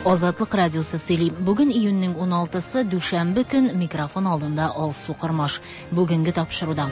Азатлык радиосы сөйли. Бүген июньнең 16-сы, дүшәмбе көн, микрофон алдында Алсу Кормаш. Бүгенге тапшыруда.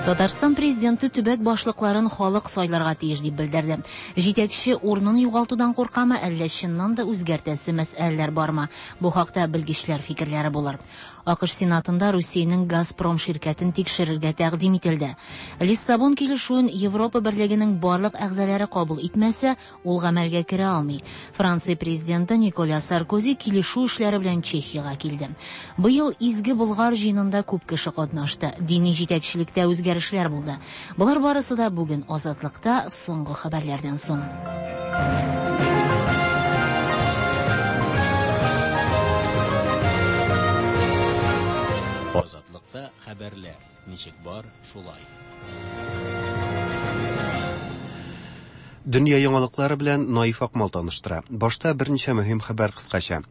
Татарстан президенты төбәк башлыкларын халык сайларга тиеш дип белдерде. Җитәкче урынын югалтудан куркамы, әллә чыннан да үзгәртәсе мәсьәләләр бармы? Бу хакта белгечләр фикерләре булыр. АКШ Сенатында Русиянең Газпром ширкәтен тикшерергә тәкъдим ителде. Лиссабон килешүен Европа Берлегенең барлык әгъзалары кабул итмәсә, ул гамәлгә керә алмый. Франция президенты Николя Саркози килешү эшләре белән Чехиягә килде. Быел Изге Болгар җыенында күп кеше катнашты. Дини җитәкчелектә үзгәрешләр булды. Болар барысы да бүген Азатлыкта соңгы хәбәрләрдән соң. Азатлыкта хәбәрләр ничек бар, шулай. Дөнья яңалыклары белән Наиф Акмал таныштыра. Башта берничә мөһим хәбәр кыскача.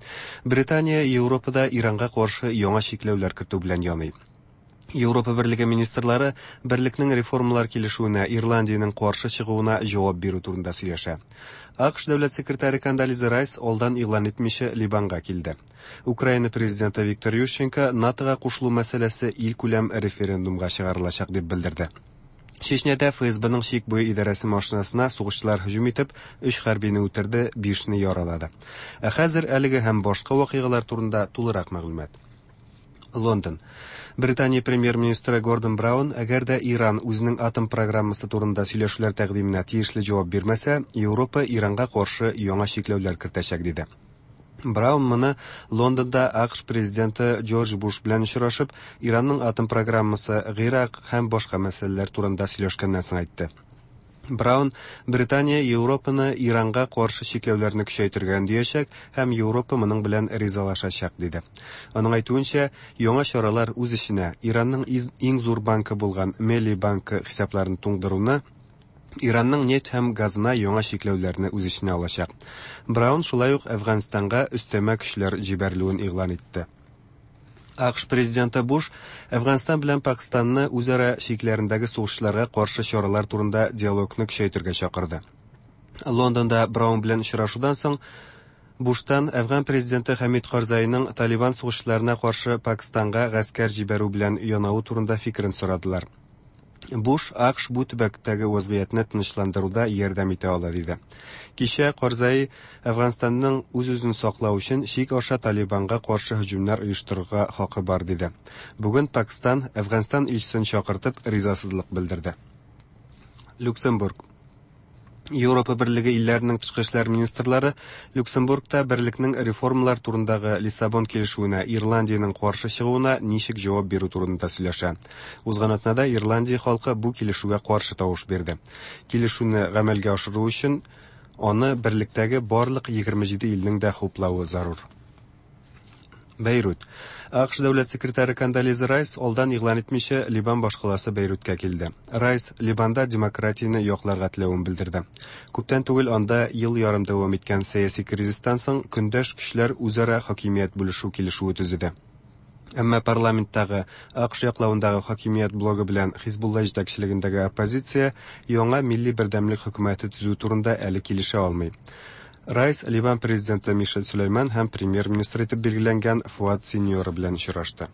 Британия Европада Иранга каршы яңа чикләүләр кертү белән яный. Европа Берлеге министрлары берлекнең реформалар килешүенә Ирландиянең каршы чыгуына җавап бирү турында сөйләшә. АКШ дәүләт секретаре Кондолиза Райс алдан игълан итмичә Либанга килде. Украина президенты Виктор Ющенко НАТОга кушылу мәсьәләсе илкүләм референдумга чыгарылачак дип белдерде. Чечняда ФСБның чик буе идарәсе машинасына сугышчылар һөҗүм итеп, өч хәрбине үтерде, бишне яралады. Ә хәзер әлеге һәм башка вакыйгалар турында тулырак мәгълүмат. Лондон. Британия премьер-министры Гордон Браун, әгәр дә Иран үзенең атом программасы турында сөйләшүләр тәкъдименә тиешле җавап бирмәсә, Европа Иранга каршы яңа чикләүләр кертәчәк, диде. Браун моны Лондонда АКШ президенты Джордж Буш белән очрашып, Иранның атом программасы, Гыйрак һәм башка мәсьәләләр турында сөйләшкәннән соң әйтте. Браун Британия Европаны Иранга каршы чикләүләрне көчәйтергә өндиячәк һәм Европа моның белән ризалашачак, диде. Аның әйтүенчә, яңа чаралар үз эченә Иранның иң зур банкы булган Мелли банкы хисапларын туңдыруны, Иранның нефть һәм газына яңа чикләүләрне үз эченә алачак. Браун шулай ук Әфганстанга өстәмә көчләр җибәрелүен игълан итте. АКШ президенты Буш Әфганстан белән Пакистанны үзара чикләрендәге сугышчыларга каршы чаралар турында диалогны көчәйтергә чакырды. Лондонда Браун белән очрашудан соң Буштан Әфган президенты Хәмид Карзайның Талибан сугышчыларына каршы Пакистанга гаскәр җибәрү белән янавы турында фикерен сорадылар. Буш АКШ бу төбәктәге вазгыятьне тынычландыруда ярдәм итә ала, диде. Кичә Карзай Әфганстанның үз-үзен саклау өчен чик аша Талибанга каршы һөҗүмнәр оештырырга хакы бар, диде. Бүген Пакстан Әфганстан илчесен чакыртып ризасызлык белдерде. Люксембург. Европа Берлеге илләренең тышкы эшләр министрлары Люксембургта берлекнең реформалар турындагы Лиссабон килешүенә Ирландиянең каршы чыгуына ничек җавап бирү турында сөйләшә. Узган атнада Ирландия халкы бу килешүгә каршы тавыш бирде. Килешүне гамәлгә ашыру өчен аны берлектәге барлык 27 илнең дә хуплавы зарур. Бәйрут. АКШ дәүләт секретаре Кондолиза Райс алдан игълан итмичә Либан башкаласы Бәйруткә килде. Райс Либанда демократияне якларга теләвен белдерде. Күптән түгел анда ел ярым дәвам иткән сәяси кризистан соң көндәш көчләр үзара хакимият бүлешү килешүе төзеде. Әмма парламенттагы АКШ яклавындагы хакимият блогы белән Хизбулла җитәкчелегендәге оппозиция яңа милли бердәмлек хөкүмәте төзү турында әле килешә алмый. Райс Ливан президенты Мишель Сөләйман һәм премьер-министр итеп билгеләнгән Фуат Синьора белән очрашты.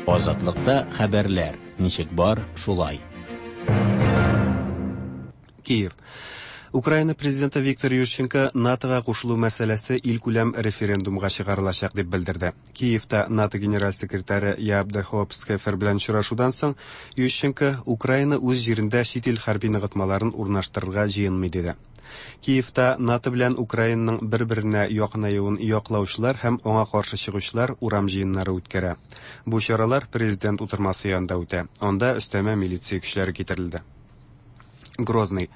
Азатлыкта хәбәрләр ничек бар, шулай. Киев. Украина президенты Виктор Ющенко НАТОга кушылу мәсьәләсе илкүләм референдумга чыгарылачак дип белдерде. Киевта НАТО генераль секретаре Яп де Хопскефер белән очрашудан соң Ющенко Украина үз җирендә чит ил хәрби ныгытмаларын урнаштырырга җыенмый диде. Киевта НАТО белән Украинаның бер-беренә якынаюын яклаучылар һәм аңа каршы чыгучылар урам җыеннары үткәрә. Бу чаралар президент утырмасы янында үтә. Анда өстәмә милиция көчләре китерелде. Грозный.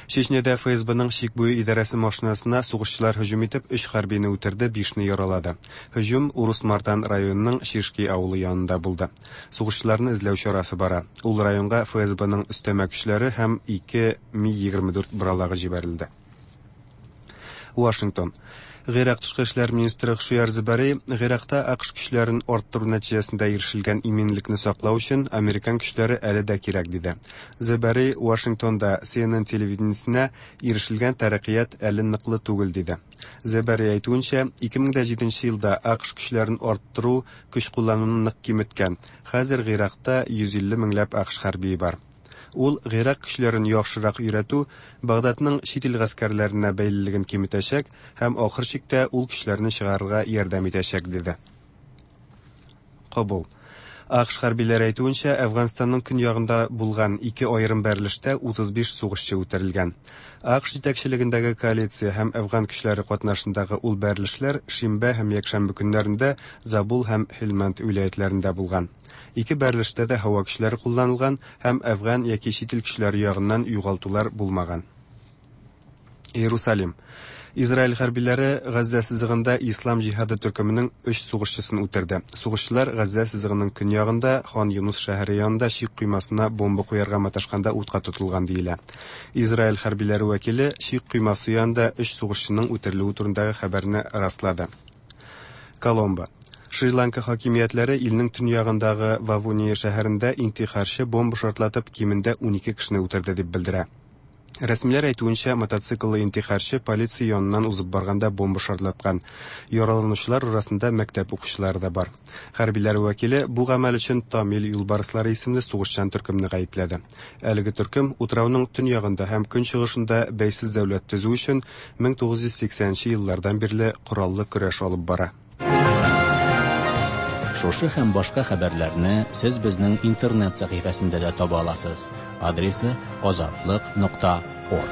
Чечняда ФСБның чик буе идарәсе машинасына сугышчылар һөҗүм итеп, өч хәрбине үтерде, бишне яралады. Һөҗүм Урус-Мартан районының Шишки авылы янында булды. Сугышчыларны эзләү чарасы бара. Ул районга ФСБның өстәмә көчләре һәм ике Ми-24 боралагы җибәрелде. Вашингтон. Гыйрак тышкы эшләр министры Хшияр Зебари Гыйракта АКШ көчләрен арттыру нәтиҗәсендә ирешелгән иминлекне саклау өчен американ көчләре әле дә кирәк диде. Зебари Вашингтонда CNN телевидениесенә ирешелгән тәрәккыят әле ныклы түгел диде. Зебари әйтүенчә, 2007 елда АКШ көчләрен арттыру көч куллануны нык киметкән. Хәзер Гыйракта 150 меңләп АКШ хәрбие бар. Ул Гыйрак көчләрен яхшырак өйрәтү Багдадның чит ил гаскәрләренә бәйлелеген киметәчәк һәм ахыр чиктә ул көчләрне чыгарырга ярдәм итәчәк, диде. Кабул. АКШ хәрбиләре әйтүенчә, Әфганстанның көньягында булган ике аерым бәрелештә 35 сугышчы үтерелгән. АКШ җитәкчелегендәге коалиция һәм әфган көчләре катнашындагы ул бәрелешләр шимбә һәм якшәмбе көннәрендә Забул һәм Һелмәнд вилаятьләрендә булган. Ике бәрелештә дә һава көчләре кулланылган һәм әфган яки чит ил көчләре ягыннан югалтулар булмаган. Иерусалим. Израиль хәрбиләре Газзә сызыгында Ислам җиһады төркеменең өч сугышчысын үтерде. Сугышчылар Газзә сызыгының көньягында Хан Юнус шәһәре янында чик коймасына бомба куярга маташканда утка тотылган диелә. Израиль хәрбиләре вәкиле чик коймасы янында өч сугышчының үтерелүе турындагы хәбәрне раслады. Коломбо. Шри-Ланка хакимиятләре илнең төньягындагы Вавуния шәһәрендә интихарчы бомба шартлатып кимендә 12 кешене үтерде дип белдерә. Рәсмиләр әйтүенчә, мотоцикллы интихарчы полиция яныннан узып барганда бомба шартлаткан. Яраланучылар арасында мәктәп укучылары да бар. Хәрбиләр вәкиле бу гамәл өчен Тамил юлбарыслары исемле сугышчан төркемне гаепләде. Әлеге төркем утрауның төньягында һәм көнчыгышында бәйсез дәүләт төзү өчен 1980 еллардан бирле кораллы көрәш алып бара. Шушы һәм башка хәбәрләрне сез безнең интернет сәхифәсендә дә таба аласыз. Адресы azatliq.org.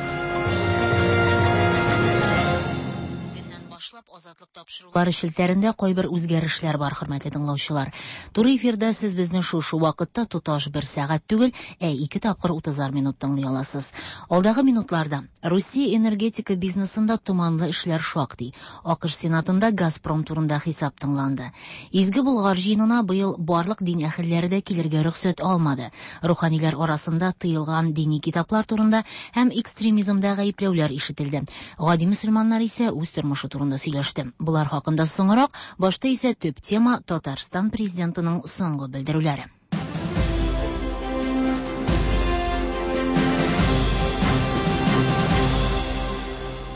Бүгеннән башлап Азатлык тапшырулары челтәрендә кайбер үзгәрешләр бар, хөрмәтле тыңлаучылар. Туры эфирда сез безне шушы вакытта тоташ бер сәгать түгел, ә ике тапкыр 30 минут тыңлый аласыз. Алдагы минутларда Русия энергетика бизнесында томанлы эшләр шактый. АКШ Сенатында Газпром турында хисап тыңланды. Изге Болгар җыенына быел барлык дин әһелләре дә килергә рөхсәт алмады. Руханиләр арасында тыелган дини китаплар турында һәм экстремизмда гаепләүләр ишетелде. Гади мөселманнар исә үз тормышы турында сөйләште. Болар хакында соңрак, башта исә төп тема Татарстан президентының соңгы белдерүләре.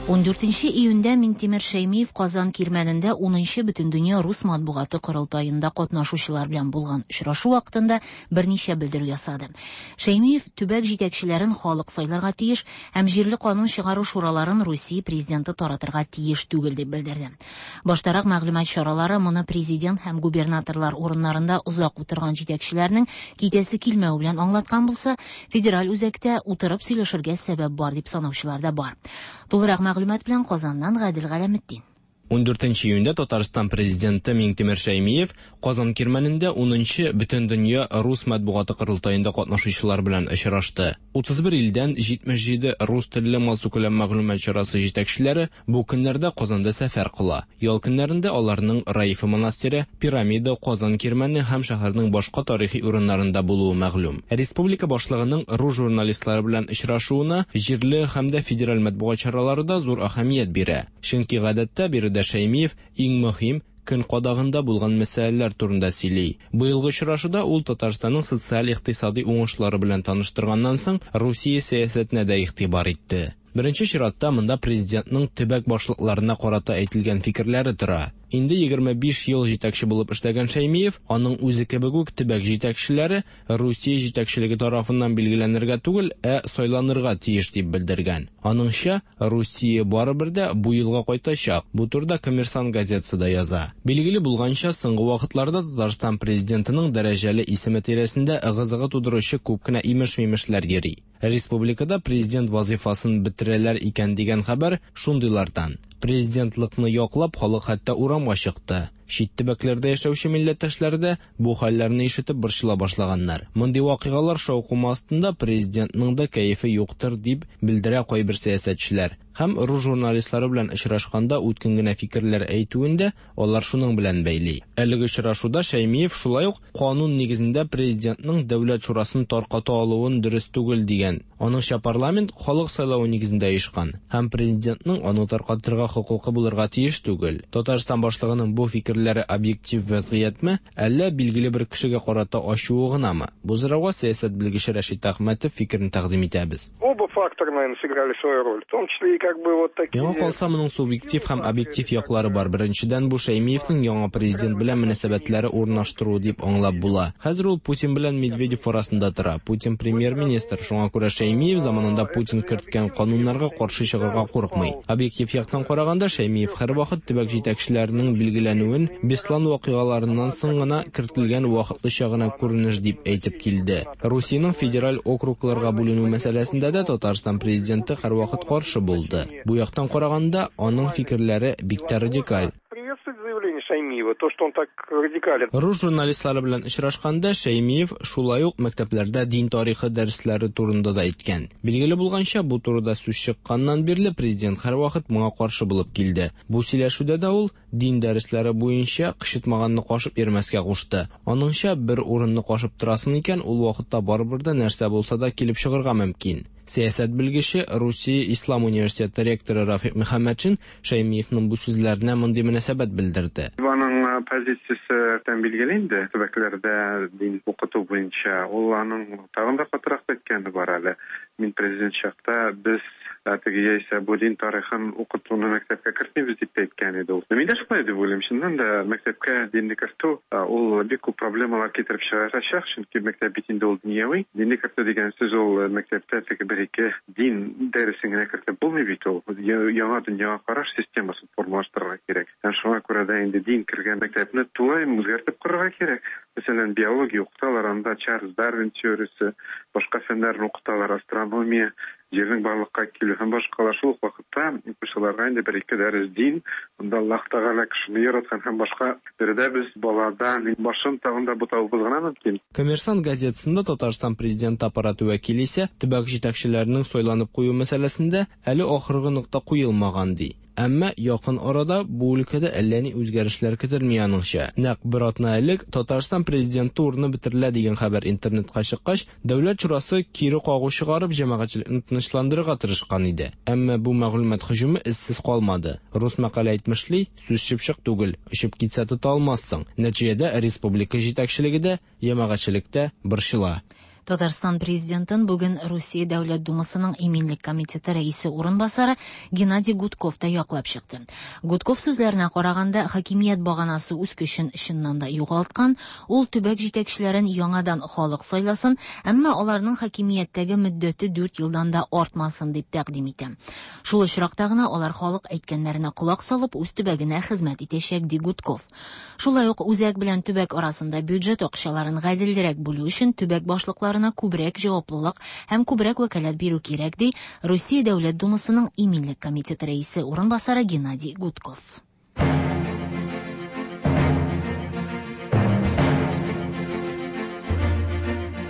14 июньдә Минтимер Шәймиев Казан Кирмәнендә 10нчы Бөтендөнья рус матбугаты корылтаенда катнашучылар белән булган очрашу вакытында берничә белдерү ясады. Шәймиев төбәк җитәкчеләрен халык сайларга тиеш һәм җирле канун чыгару шураларын Русия президенты таратырга тиеш түгел дип белдерде. Баштарак мәгълүмат чаралары моны президент һәм губернаторлар урыннарында озак утырган җитәкчеләрнең китәсе килмәве белән аңлаткан булса, федераль үзәктә утырып сөйләшергә сәбәп бар дип санаучылар да бар. Тулырак мәгълүмат белән Казаннан Гадел Галәметдин. 14 июньдә Татарстан президенты Миңтимер Шәймиев Казан Кирмәнендә 10нчы Бөтендөнья рус матбугаты корылтаенда катнашучылар белән очрашты. 31 илдән 77 рус телле массакүләм мәгълүмат чарасы җитәкчеләре бу көннәрдә Казанда сәфәр кыла. Ял көннәрендә аларның Раифа монастыре, Пирамида, Казан Кирмәне һәм шәһәрнең башка тарихи урыннарында булуы мәгълүм. Республика башлыгының рус журналистлары белән очрашуына җирле һәм дә федераль матбугат чаралары да зур әһәмият бирә. Чөнки гадәттә биредә Шәймиев иң мөһим көн кадагында булган мәсьәләләр турында сөйли. Быелгы очрашуда ул Татарстанның социаль-икътисади уңышлары белән таныштырганнан соң Русия сәясәтенә дә игътибар итте. Беренче чиратта монда президентның төбәк башлыкларына карата әйтелгән фикерләре тора. Инде 25 ел җитәкче булып эшләгән Шәймиев, аның үзе кебек үк төбәк җитәкчеләре Русия җитәкчелеге тарафыннан билгеләнергә түгел, ә сайланырга тиеш дип белдергән. Аныңча, Русия барыбер дә бу елга кайтачак. Бу турыда Коммерсант газетасы да яза. Билгеле булганча, соңгы вакытларда Татарстан президентының дәрәҗәле исеме тирәсендә ыгы-зыгы тудыручы күп кенә имеш-мимешләр йөри. Республикада президент вазифасын бетерәләр икән дигән хәбәр шундыйлардан. Президентлыкны яклап халык хәтта урамга чыкты. Чит төбәкләрдә яшәүче милләттәшләре дә бу хәлләрне ишетеп борчыла башлаганнар. Мондый вакыйгалар шаукымы астында президентның да кәефе юктыр, дип белдерә кайбер сәясәтчеләр. Һәм рус журналистлары белән очрашканда үткен генә фикерләр әйтүен дә алар шуның белән бәйли. Әлеге очрашуда Шәймиев шулай ук канун нигезендә президентның Дәүләт шурасын тарката алуын дөрес түгел дигән. Аныңча, парламент халык сайлавы нигезендә оешкан һәм президентның аны таркатырга хокукы булырга тиеш түгел. Татарстан башлыгының бу фикерләре объектив вәзгыятьме, әллә билгеле бер кешегә карата ачуы гынамы? Бу сорауга сәясәт белгече Рәшит Әхмәтов фикерен тәкъдим итәбез. Оба фактора, наверное, сыграли свою роль, в том числе и как бы вот такие... Миңа калса, моның субъектив һәм объектив яклары бар. Беренчедән, бу Шәймиевнең яңа президент белән мөнәсәбәтләре урнаштыру дип аңлап була. Хәзер ул Путин белән Медведев арасында тора. Путин премьер-министр, шуңа күрә Шәймиев заманында Путин керткән кануннарга каршы чыгарга курыкмый. Объектив яктан караганда, Шәймиев һәрвакыт төбәк җитәкчеләренең билгеләнүен Беслан вакыйгаларыннан соң гына кертелгән вакытлыча гына күренеш дип әйтеп килде. Русиянең федераль округларга бүленү мәсьәләсендә дә Татарстан президенты һәрвакыт каршы булды. Бу яктан караганда, аның фикерләре бик тә радикаль. Приветствовать заявление Шаймиева, то, что он так радикален. Рус журналистлары белән очрашканда Шәймиев шулай ук мәктәпләрдә дин тарихы дәресләре турында да әйткән. Билгеле булганча, бу турыда сүз чыкканнан бирле президент һәрвакыт моңа каршы булып килде. Бу сөйләшүдә дә ул дин дәресләре буенча кычытмаганны кашып йөрмәскә кушты. Аныңча, бер урынны кашып торасың икән, ул вакытта барыбер дә нәрсә булса да килеп чыгарга мөмкин. Сәясәт белгече, Русия Ислам университеты ректоры Рафик Мөхәммәтшин Шәймиевның бу сүзләренә мондый мөнәсәбәт белдерде. Аның позициясе тән билгеле инде, төбәкләрдә дин укыту буенча. Ул аның тагын да катырак әйткәне бар әле. Мин президент чакта без теге яисә бу дин тарихын укытуны мәктәпкә кертмибез дип әйткән иде ул. Мин дә шулай дип уйлыйм. Чыннан да мәктәпкә динне кертү ул бик күп проблемалар китереп чыгарачак, чөнки мәктәп бит инде ул дөньяви. Динне кертү дигән сүз ул мәктәптә теге бер-ике дин дәресен генә кертеп булмый бит ул. Яңа дөньяга караш системасын формалаштырырга кирәк. Һәм шуңа күрә дә инде дин кергән мәктәпне тулаем үзгәртеп корырга кирәк. Мәсәлән, биология укыталар, анда Чарльз Дарвин теориясе, башка фәннәрне укыталар, астрономия, җирнең барлыкка килү һәм башкалар. Шул ук вакытта укучыларга инде бер-ике дәрес дин, анда Аллаһ Тәгалә кешене яраткан һәм башка. Биредә без баладан башын тагын да бутавыбыз гына мөмкин. Коммерсант газетасында Татарстан президенты аппараты вәкиле исә төбәк җитәкчеләренең сайланып кую мәсьәләсендә әле ахыргы нокта куелмаган ди. Әмма якын арада бу өлкәдә әллә ни үзгәрешләр көтелми аныңча. Нәкъ бер атна элек Татарстан президенты урыны бетерелә дигән хәбәр интернетка чыккач, Дәүләт шурасы кире кагу чыгарып җәмәгатьчелекне тынычландырырга тырышкан иде. Әмма бу мәгълүмат һөҗүме эзсез калмады. Рус мәкале әйтмешли, сүз чыпчык түгел, очып китсә тота алмассың. Нәтиҗәдә республика җитәкчелеге дә, җәмәгатьчелек тә борчыла. Татарстан президентын бүген Русия Дәүләт Думасының Иминлек комитеты рәисе урынбасары Геннадий Гудков та яклап чыкты. Гудков сүзләренә караганда, хакимият баганасы үз көчен чыннан да югалткан, ул төбәк җитәкчеләрен яңадан халык сайласын, әмма аларның хакимияттәге мөддәте 4 елдан да артмасын дип тәкъдим итә. Шул очракта гына алар халык әйткәннәренә колак салып, үз төбәгенә хезмәт итәчәк, ди Гудков. Шулай ук үзәк белән төбәк арасында бюджет акчаларын гаделрәк бүлү өчен төбәк башлыкларына күбрәк җаваплылык һәм күбрәк вәкаләт бирү кирәк, ди Русия Дәүләт Думасының Иминлек комитеты рәисе урынбасары Геннадий Гудков.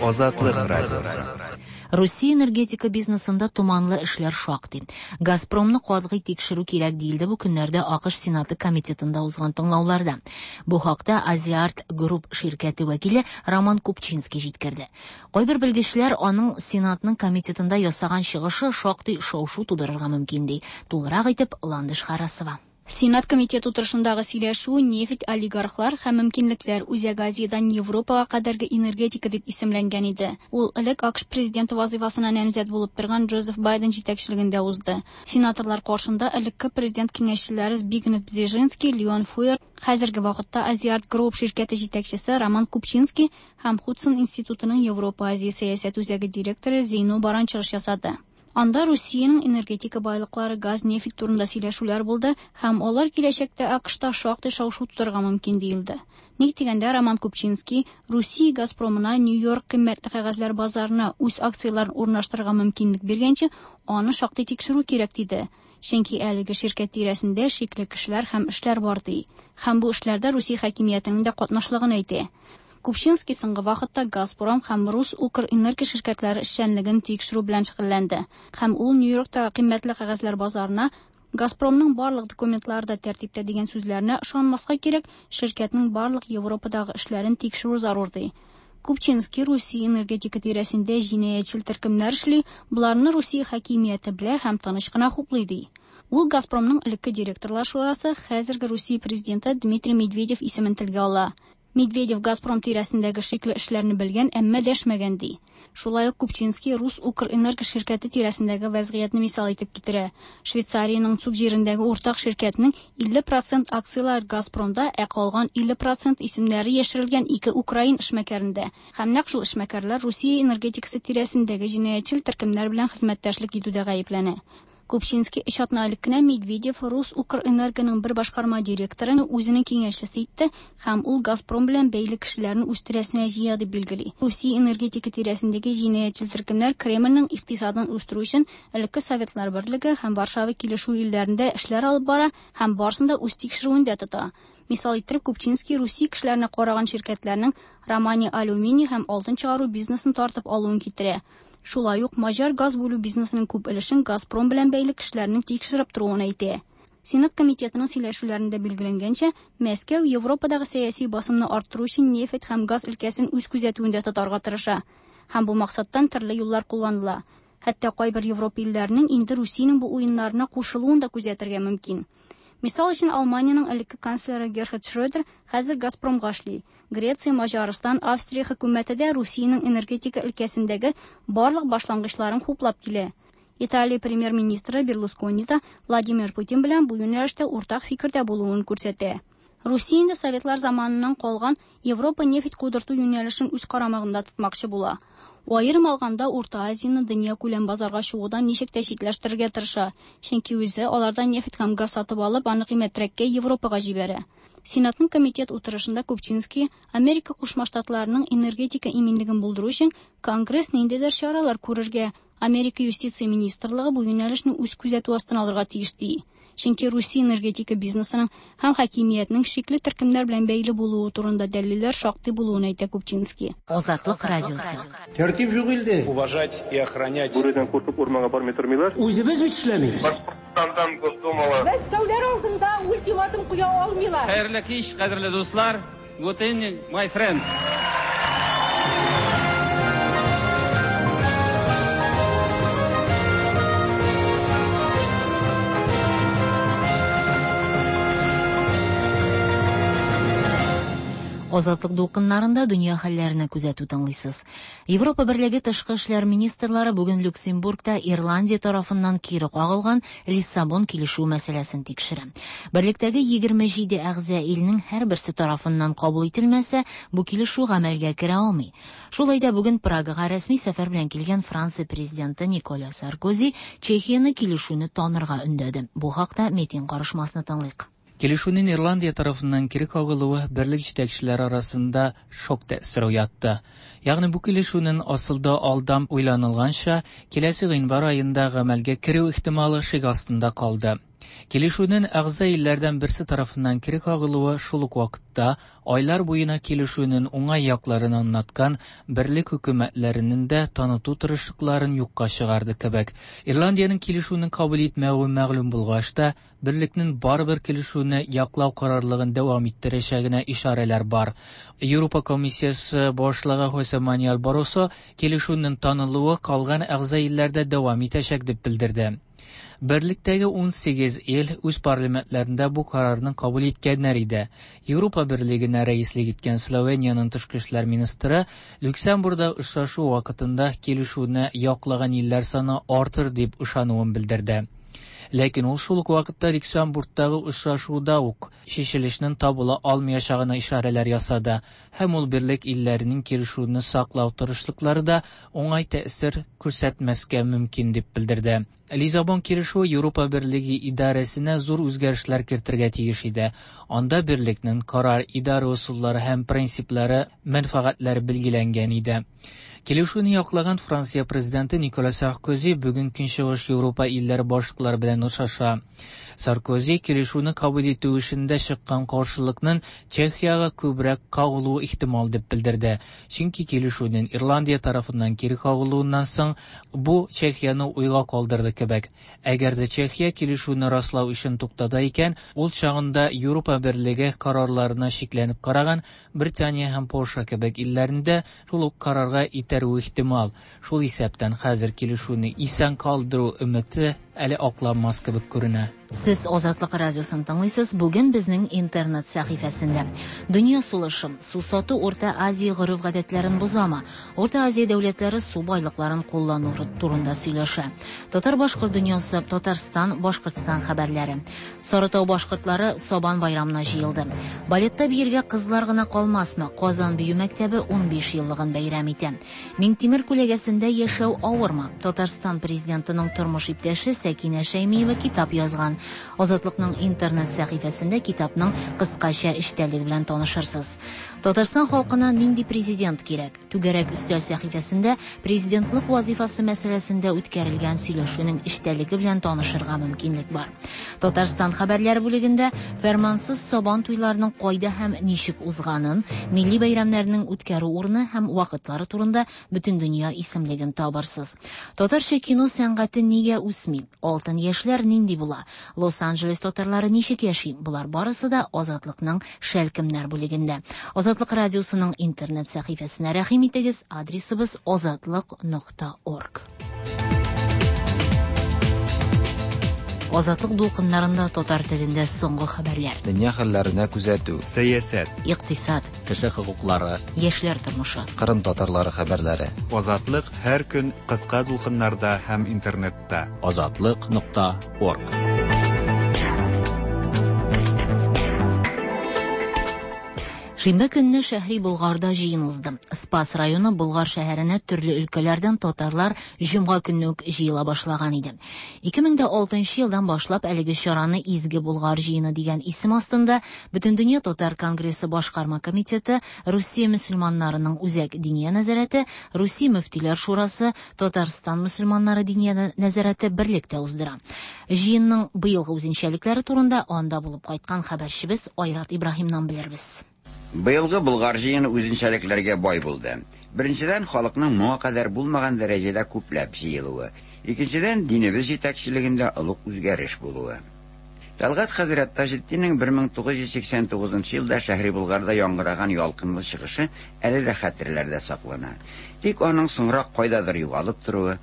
Азатлык радиосы. Русия энергетика бизнесында томанлы эшләр шактый. Газпромны катгый тикшерү кирәк диелде бу көннәрдә АКШ Сенаты комитетында узган тыңлауларда. Бу хакта Азиарт Групп ширкәте вәкиле Роман Купчинский җиткерде. Кайбер белгечләр аның Сенатның комитетында ясаган чыгышы шактый шау-шу тудырырга мөмкин ди. Тулырак итеп Ландыш Харасова. Сенат комитеты утырышындагы сөйләшү нефть олигархлар һәм мөмкинлекләр Үзәк Азиядән Европага кадәрге энергетика дип исемләнгән иде. Ул элек АКШ президенты вазифасына намзәт булып торган Джозеф Байден җитәкчелегендә узды. Сенаторлар каршында элекке президент киңәшчеләре Збигнев Бзежинский, Леон Фуэр, хәзерге вакытта Азиарт Групп ширкәте җитәкчесе Роман Купчинский һәм Худсон институтының Европа Азия сәясәт үзәге директоры Зейно Баран чыгыш ясады. Анда Русиянең энергетика байлыклары, газ, нефть турында сөйләшүләр булды һәм алар киләчәктә АКШта шактый шау-шу тудырырга мөмкин диелде. Ник дигәндә, Роман Купчинский Русия Газпромына Нью-Йорк кыйммәтле кәгазьләр базарына үз акцияләрен урнаштырырга мөмкинлек биргәнче, аны шактый тикшерү кирәк диде. Чөнки әлеге ширкәт тирәсендә шикле кешеләр һәм эшләр бар ди. Һәм бу эшләрдә Русия хакимиятенең дә катнашлыгын әйтә. Купчинский соңгы вакытта Газпром һәм Рус Укрэнерго ширкәтләре эшчәнлеген тикшерү белән шөгыльләнде. Һәм ул Нью-Йорктагы кыйммәтле кәгазьләр базарына Газпромның барлык документлары да тәртиптә дигән сүзләренә ышанмаска кирәк, ширкәтнең барлык Европадагы эшләрен тикшерү зарур ди. Купчинский Русия энергетика тирәсендә җинаятьчел төркемнәр эшли, боларны Русия хакимияте белә һәм тыныч кына хуплый ди. Ул Газпромның элекке директорлар шурасы, хәзерге Русия президенты Дмитрий Медведев исемен телгә ала. Медведев Газпром тирәсендәге шикле эшләрне белгән, әмма дәшмәгән ди. Шулай ук Купчинский Рус Укрэнерго ширкәте тирәсендәге вәзгыятьне мисал итеп китерә. Швейцариянең Цуг җирендәге уртак ширкәтнең 50 процент акцияләре Газпромда, ә калган 50 процент исемнәре яшерелгән ике украин эшмәкәрендә. Һәм нәкъ шул эшмәкәрләр Русия энергетикасы тирәсендәге җинаятьчел төркемнәр белән хезмәттәшлек итүдә гаепләнә. Купчинский өч атна элек кенә Медведев Рус Укрэнергоның бер башкарма директорын үзенең киңәшчесе итте һәм ул Газпром белән бәйле кешеләрне үз тирәсенә җыя дип билгели. Русия энергетика тирәсендәге җинаятьчел төркемнәр Кремльнең икътисадын үстерү өчен элекке Советлар Берлеге һәм Варшава килешүе илләрендә эшләр алып бара һәм барысын да үз тикшерүендә тота. Мисал иттереп Купчинский Русия кешеләренә караган ширкәтләрнең Романия алюминий һәм алтын чыгару бизнесын тартып алуын китерә. Шулай ук маҗар газ бүлү бизнесының күп өлешен Газпром белән бәйле кешеләрнең тикшереп торуын әйтә. Сенат комитетының сөйләшүләрендә билгеләнгәнчә, Мәскәү Европадагы сәяси басымны арттыру өчен нефть һәм газ өлкәсен үз күзәтүендә тотарга тырыша. Һәм бу максаттан төрле юллар кулланыла. Хәтта кайбер Европа илләренең инде Русиянең бу уеннарына кушылуын да күзәтергә мөмкин. Мисал өчен Алманиянең элекке канцлеры Герхард Шрёдер хәзер Газпромга эшли. Греция, Маҗарстан, Австрия хөкүмәте дә Русиянең энергетика өлкәсендәге барлык башлангычларын хуплап килә. Италия премьер-министры Берлускони да Владимир Путин белән бу юнәлештә уртак фикердә булуын күрсәтә. Русия инде Советлар заманыннан калган Европа нефть кудырту юнәлешен үз карамагында тотмакчы була. Аерым алганда Урта Азияны дөнья күләм базарга чыгудан ничек тә читләштерергә тырыша, чөнки үзе алардан нефть һәм газ сатып алып, аны кыйммәтрәккә Европага җибәрә. Сенатның комитет утырышында Купчинский Америка Кушма Штатларының энергетика иминлеген булдыру өчен Конгресс ниндидер чаралар күрергә, Америка юстиция министрлыгы бу юнәлешне үз күзәтү астына алырга тиеш ди. Чөнки Русия энергетика бизнесының һәм хакимиятнең шикле төркемнәр белән бәйле булуы турында дәлилләр шактый булуын әйтә Купчинский. Азатлык радиосы. Тәртип юк илдә. Уважать и охранять. Бүредән куркып урманга бармый тормыйлар. Үзебез бит эшләмибез. Башкортстандан Госдумалы. Мәскәүләр алдында ультиматум куя алмыйлар. Хәерле кич, кадерле дуслар. Good evening, my friends. Азатлык дулкыннарында дөнья хәлләренә күзәтү тыңлыйсыз. Европа Берлеге тышкы эшләр министрлары бүген Люксембургта Ирландия тарафыннан кире кагылган Лиссабон килешүе мәсьәләсен тикшерә. Берлектәге 27 әгъза илнең һәрберсе тарафыннан кабул ителмәсә, бу килешү гамәлгә керә алмый. Шулай да бүген Прагага рәсми сәфәр белән килгән Франция президенты Николя Саркози Чехияне килешүне танырга өндәде. Бу хакта Метин карышмасны тыңлыйк. Килешүнең Ирландия тарафыннан кире кагылуы берлек җитәкчеләре арасында шок тәэсире уятты. Ягъни бу килешүнең асылда алдан уйланылганча киләсе гыйнвар аенда гамәлгә керү ихтималы шик астында калды. Килешүнең әгъза илләрдән берсе тарафыннан кире кагылуы шул ук вакытта айлар буена килешүнең уңай якларын аңлаткан берлек хөкүмәтләренең дә таныту тырышлыкларын юкка чыгарды кебек. Ирландиянең килешүне кабул итмәве мәгълүм булгач та, берлекнең барыбер килешүне яклау карарлыгын дәвам иттерәчәгенә ишарәләр бар. Европа комиссиясе башлыгы Хосе Мануэль Барросо килешүнең танылуы калган әгъза илләрдә дәвам итәчәк дип белдерде. Берлектәге 18 ил үз парламентларында бу карарны кабул иткәннәр иде. Европа Берлегенә рәислек иткән Словениянең тышкы эшләр министры Люксембургда очрашу вакытында килешүне яклаган илләр саны артыр дип ышануын белдерде. Ләкин ул шул ук вакытта Люксембургтагы очрашуда ук чишелешнең табыла алмаячагына ишарәләр ясады һәм ул берлек илләренең килешүне саклау тырышлыклары да уңай тәэсир күрсәтмәскә мөмкин дип белдерде. Лиссабон килешүе Европа Берлеге идарәсенә зур үзгәрешләр кертергә тиеш иде. Анда берлекнең карар идарә ысуллары һәм принциплары, мәнфәгатьләре билгеләнгән иде. Килешүне яклаган Франция президенты Никола Саркози бүген Көнчыгыш Европа илләре башлыклары белән белән охшаша. Саркози килешүне кабул итү эшендә чыккан каршылыкның Чехиягә күбрәк кагылуы ихтимал дип белдерде. Чөнки килешүнең Ирландия тарафыннан кире кагылуыннан соң бу Чехияне уйга калдырды кебек. Әгәр дә Чехия килешүне раслау эшен туктата икән, ул чагында Европа Берлеге карарларына шикләнеп караган Британия һәм Польша кебек илләрне дә шул ук карарга этәрүе ихтимал. Шул исәптән хәзер килешүне исән калдыру өмете әле акланмас кебек күренә. Сез Азатлык радиосын тыңлыйсыз. Бүген безнең интернет сәхифәсендә Дөнья сулышы. Су сату Урта Азия гореф-гадәтләрен бозамы? Урта Азия дәүләтләре су байлыкларын куллану турында сөйләшә. Татар-башкорт дөньясы, Татарстан, Башкортстан хәбәрләре. Сарытау башкортлары Сабан байрамына җыелды. Балетта биергә кызлар гына калмасмы? Казан бию мәктәбе 15 еллыгын бәйрәм итә. Миңтимер күләгәсендә яшәү авырмы? Татарстан президентының тормыш иптәше Сәкинә Шәймиева китап язган. Азатлыкның интернет сәхифәсендә китапның кыскача эчтәлеге белән танышырсыз. Татарстан халкына нинди президент кирәк? Түгәрәк өстәл сәхифәсендә президентлык вазифасы мәсьәләсендә үткәрелгән сөйләшүнең эчтәлеге белән танышырга мөмкинлек бар. Татарстан хәбәрләре бүлегендә фәрмансыз сабан туйларының кайда һәм ничек узганын, милли бәйрәмнәрнең үткәрү урыны һәм вакытлары турында бөтендөнья исемлеген табырсыз. Татарча кино сәнгате нигә үсми? Алтын яшьләр нинди була? Лос-Анджелес татарлары ничек яши? Болар барысы да Азатлыкның шәлкемнәр бүлегендә. Азатлык радиосының интернет сәхифәсенә рәхим итегез. Адресыбыз azatliq.org. Азатлык дулкыннарында татар телендә соңгы хәбәрләр. Дөнья хәлләренә күзәтү. Сәясәт. Икътисад. Кеше хокуклары. Яшьләр тормышы. Кырым татарлары хәбәрләре. Азатлык һәр көн кыска дулкыннарда һәм интернетта. Азатлык.орг. Шимбә көнне Шәһри Болгарда җыен узды. Спас районы Болгар шәһәренә төрле өлкәләрдән татарлар җомга көнне үк җыела башлаган иде. 2006 елдан башлап әлеге чараны Изге Болгар җыены дигән исем астында Бөтендөнья татар конгрессы башкарма комитеты, Русия мөселманнарының үзәк диния нәзарәте, Русия мөфтиләр шурасы, Татарстан мөселманнары диния нәзарәте берлектә уздыра. Җыенның быелгы үзенчәлекләре турында анда булып кайткан хәбәрчебез Айрат Ибраһимнан белербез. Быелгы Болгар җыены үзенчәлекләргә бай булды. Беренчедән, халыкның моңа кадәр булмаган дәрәҗәдә күпләп җыелуы. Икенчедән, динебез җитәкчелегендә олуг үзгәреш булуы. Тәлгать хәзрәт Таҗетдиннең 1989 елда Шәһри Болгарда яңгыраган ялкынлы чыгышы әле дә хәтерләрдә саклана. Тик аның соңрак кайдадыр югалып торуы,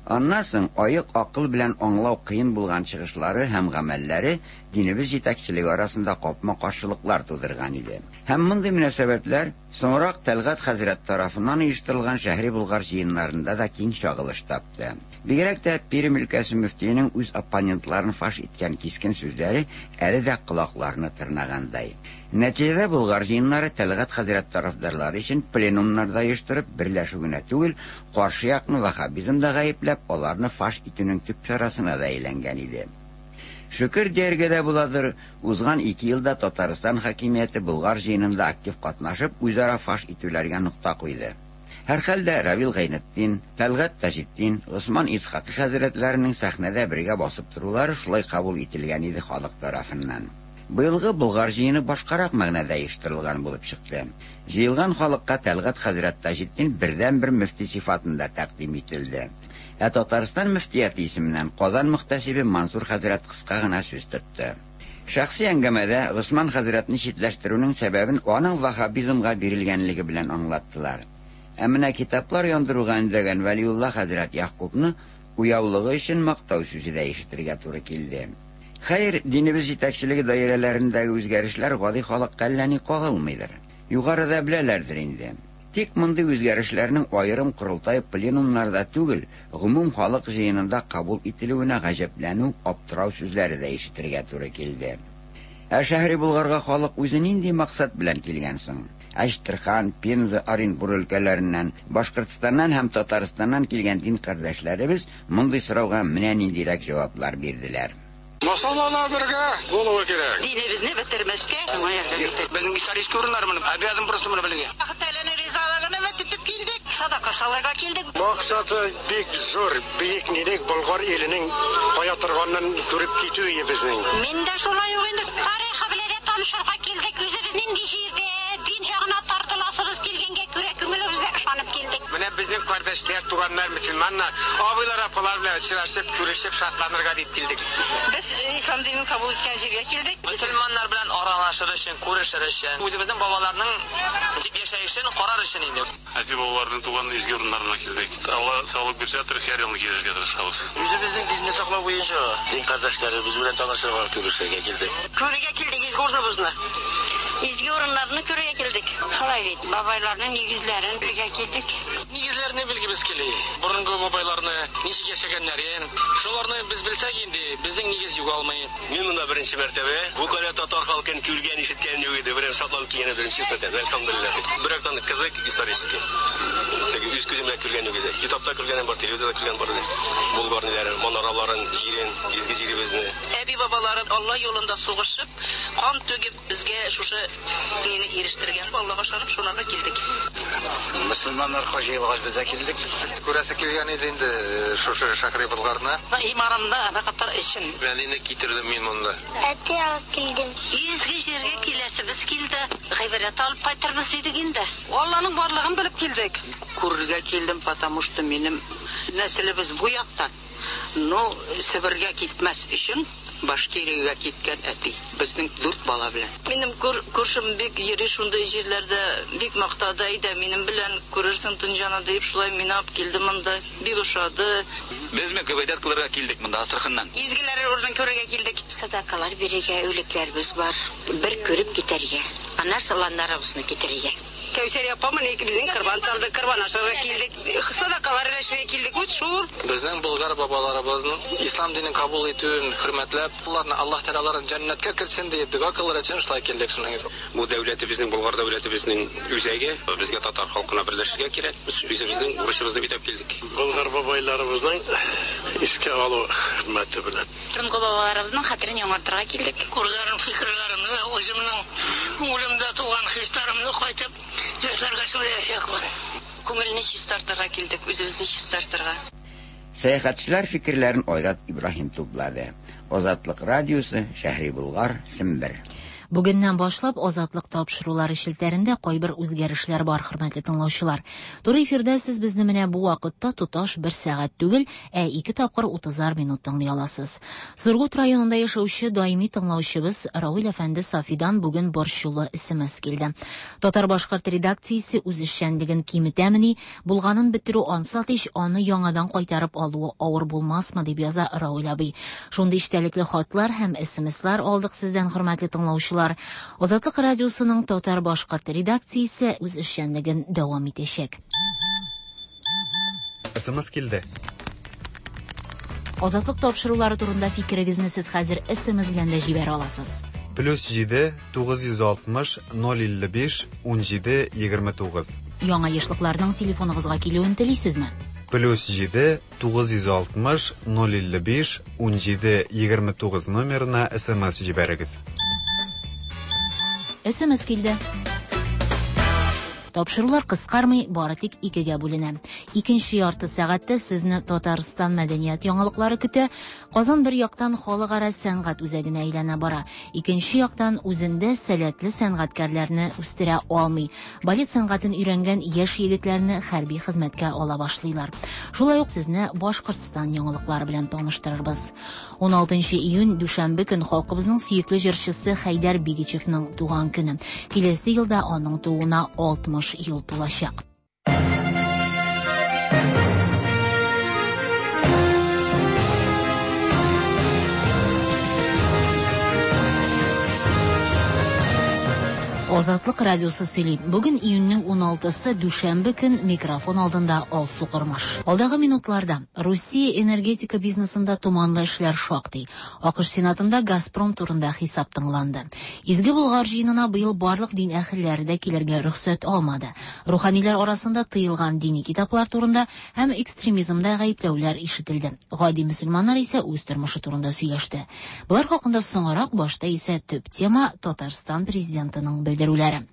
аннан соң аек акыл белән аңлау кыен булган чыгышлары һәм гамәлләре динебез җитәкчелеге арасында капма-каршылыклар тудырган иде. Һәм мондый мөнәсәбәтләр соңрак Тәлгать хәзрәт тарафыннан оештырылган Шәһри Болгар җыеннарында да киң чагылыш тапты. Бигрәк тә Пермь өлкәсе мөфтиенең үз оппонентларын фаш иткән кискен сүзләре әле дә колакларны тырнагандай. Нәтиҗәдә Болгар җыеннары Тәлгать хәзрәт тарафдарлары өчен пленумнарда оештырып берләшү генә түгел, каршы якны ваххабизмда гаепләп, аларны фаш итүнең төп чарасына да әйләнгән иде. Шөкер дияргә дә буладыр, узган 2 елда Татарстан хакимияте Болгар җыенында актив катнашып, үзара фаш итүләргә нокта куйды. Һәрхәлдә Равил Гайнетдин, Тәлгать Таҗетдин, Госман Исхакый хәзрәтләренең сәхнәдә бергә басып торулары шулай кабул ителгән иде халык тарафыннан. Быелгы Болгар җыены башкарак мәгънәдә оештырылган булып чыкты. Җыелган халыкка Тәлгать хәзрәт Таҗетдин бердән-бер мөфти сыйфатында тәкъдим ителде. Ә Татарстан мөфтияте исеменнән Казан мөхтәсибе Мансур хәзрәт кыска гына сүз тотты. Шәхси әңгәмәдә Госман хәзрәтне читләштерүнең сәбәбен аның ваххабизмга бирелгәнлеге белән аңлаттылар. Ә менә китаплар яндыруга өндәгән Вәлиулла хәзрәт Ягъкубны уяулыгы өчен мактау сүзе дә ишетергә туры килде. Хәер, динебез җитәкчелеге даирәләрендәге үзгәрешләр гади халыкка әллә ни кагылмыйдыр. Югарыда беләләрдер инде. Тик мондый үзгәрешләрнең аерым корылтай пленумнарда түгел, гомум халык җыенында кабул ителүенә гаҗәпләнү, аптырау сүзләре дә ишетергә туры килде. Ә Шәһри Болгарга халык үзе нинди максат белән килгән соң? Әчтерхан, Пенза, Оренбур өлкәләреннән, Башкортстаннан һәм Татарстаннан килгән дин кардәшләребез мондый сорауга менә ниндирәк җаваплар бирделәр. Мөселманнар бергә булуы кирәк. Динебезне бетермәскә, шуңа ярдәм итәргә. Безнең исторический урыннар моны обязан просто моны белергә. Аллаһ Тәгаләнең ризалыгын өмет итеп килдек. Садака салырга килдек. Максаты бик зур, бөек нинек Болгар иленең кая торганын күреп китү ие безнең. Мин дә шулай ук инде тарихы белән дә танышырга килдек. Үзебез нинди җирдә, дин ягына тартыласыбыз килгәнгә күрә күңелебезгә ышанып килдек. Менә безнең кардәшләр, туганнар, мөселманнар, абыйлар, апалар белән очрашып, күрешеп, шатланырга дип килдек. Без ислам динен кабул иткән җиргә килдек. Мөселманнар белән аралашыр өчен, күрешер өчен, үзебезнең бабаларның ничек яшәешен карар өчен инде. Әти бабаларның туган изге урыннарына килдек. Алла саулык бирсә, һәр елны килергә тырышабыз. Үзебезнең динне саклау буенча дин кардәшләребез белән танышырга, күрешергә килдек. Күрергә килдек изге урыныбызны. Изге урыннарны күрергә килдек. Шулай бит, бабайларның нигезләрен белергә килдек. Нигезләрне белгебез кили. Борынгы бабайларны ничек яшәгәннәрен, шуларны без белсәк инде, безнең нигез югалмый. Мин монда беренче мәртәбә. Бу кадәр татар халкын күргән, ишеткән юк иде. Берәм шатланып килгән идем, честно әйтәм. Әлхәмдүлилләһ. Бер яктан кызык исторический. Теге үз күзем белән күргән юк иде. Китапта күргәнем бар, телевизорда күргән бар иде. Болгар ниләрен, манараларын, җирен, изге җиребезне. Әби-бабалары Алла юлында сугышып, кан түгеп, безгә шушы мине ирештергән. Аллага ышанып, шунарга килдек. Мөселманнар җыелгач без дә килдек. Күрәсе килгән иде инде шушы Шәһри Болгарны. Иманымны ныгытыр өчен. Әнине китердем мин монда. Әти алып килдем. Изге җиргә киләсебез килде. Гыйбрәт алып кайтырбыз дидек инде. Алланың барлыгын белеп килдек. Күрергә килдем, потому что минем нәселебез бу яктан. Но Себергә китмәс өчен Башкириягә киткән әти. Безнең дүрт бала белән. Минем күршем бик йөри шундый җирләрдә, бик мактады, әйдә минем белән күрерсең дөньяны дип, шулай мине алып килде монда. Бик ошады. Без гыйбадәт кылырга килдек монда Астраханнан. Изгеләр урынын күрергә килдек. Садакалар бирергә үлекләребез бар. Бер күреп китәргә. Аннан саланнарыбызны китерергә. Кәүсәр апа менә безнең корбан чалды, корбан ашарга килдек. Садакалар өләшергә килдек. Вот шул. Безнең болгар бабаларыбызның ислам динен кабул итүен хөрмәтләп, аларны Аллаһ Тәгалә аларын җәннәткә кертсен диеп дога кылыр өчен шулай килдек шуның өчен. Бу дәүләтебезнең, Болгар дәүләтебезнең үзәге. Безгә татар халкына берләшергә кирәк. Без үзебезнең бурычыбызны үтәп килдек. Болгар бабайларыбызның искә алу хөрмәте белән. Борынгы бабаларыбызның хәтерен яңартырга килдек. Күргән фикерләремне, үземнең күңелемдә туган хисләремне кайтып яшьләргә сөйләячәкмен. Күңелне чистартырга килдек, үзебезне чистартырга. Сәяхәтчеләр фикерләрен Айрат Ибраһим туплады. Азатлык радиосы, Шәһри Болгар, Сембер. Бүгеннән башлап Азатлык тапшырулары челтәрендә кайбер үзгәрешләр бар, хөрмәтле тыңлаучылар. Туры эфирда сез безне менә бу вакытта тоташ бер сәгать түгел, ә ике тапкыр 30 минут тыңлый аласыз. Сургут районында яшәүче даими тыңлаучыбыз Равил әфәнде Сафидан бүген борчулы СМС килде. Татар-башкорт редакциясе үз эшчәнлеген киметәмени, булганын бетерү ансат ич, аны яңадан кайтарып алуы авыр булмасмы, дип яза Равил абый. Шундый эчтәлекле хатлар һәм СМСлар алдык сездән, хөрмәтле тыңлаучылар. Азатлык радиосының татар-башкорт редакциясе үз эшчәнлеген дәвам итәчәк. СМС килде. Азатлык тапшырулары турында фикерегезне сез хәзер СМС белән дә җибәрә аласыз. Плюс 7 960 055 17 29. Яңа ешлыкларның телефоныгызга килүен телисезме? Плюс 7 960 055 17 29 номерына СМС җибәрегез. СМС килде. Тапшырулар кыскармый, бары тик икегә бүленә. Икенче ярты сәгатьтә сезне Татарстан мәдәният яңалыклары көтә. Казан бер яктан халыкара сәнгать үзәгенә әйләнә бара. Икенче яктан үзендә сәләтле сәнгатькәрләрне үстерә алмый. Балет сәнгатен өйрәнгән яшь егетләрне хәрби хезмәткә ала башлыйлар. Шулай ук сезне Башкортстан яңалыклары белән таныштырырбыз. 16 июнь дүшәмбе көн халкыбызның сөекле җырчысы Хәйдәр Бигичевның туган көне. Киләсе елда аның тууына 60 ел тулачак. Азатлык радиосы сөйли. Бүген июньнең 16-сы дүшәмбе көн, микрофон алдында Алсу Кормаш. Алдагы минутларда Русия энергетика бизнесында томанлы эшләр шактый. АКШ Сенатында Газпром турында хисап тыңланды. Изге Болгар җыенына быел барлык дин әһелләре дә килергә рөхсәт алмады. Руханилар арасында тыелган дини китаплар турында һәм экстремизмда гаепләүләр ишетелде. Гади мөселманнар исә үз тормышы турында сөйләште. Болар хакында соңрак, башта исә төп тема Татарстан президентының белдерүләре.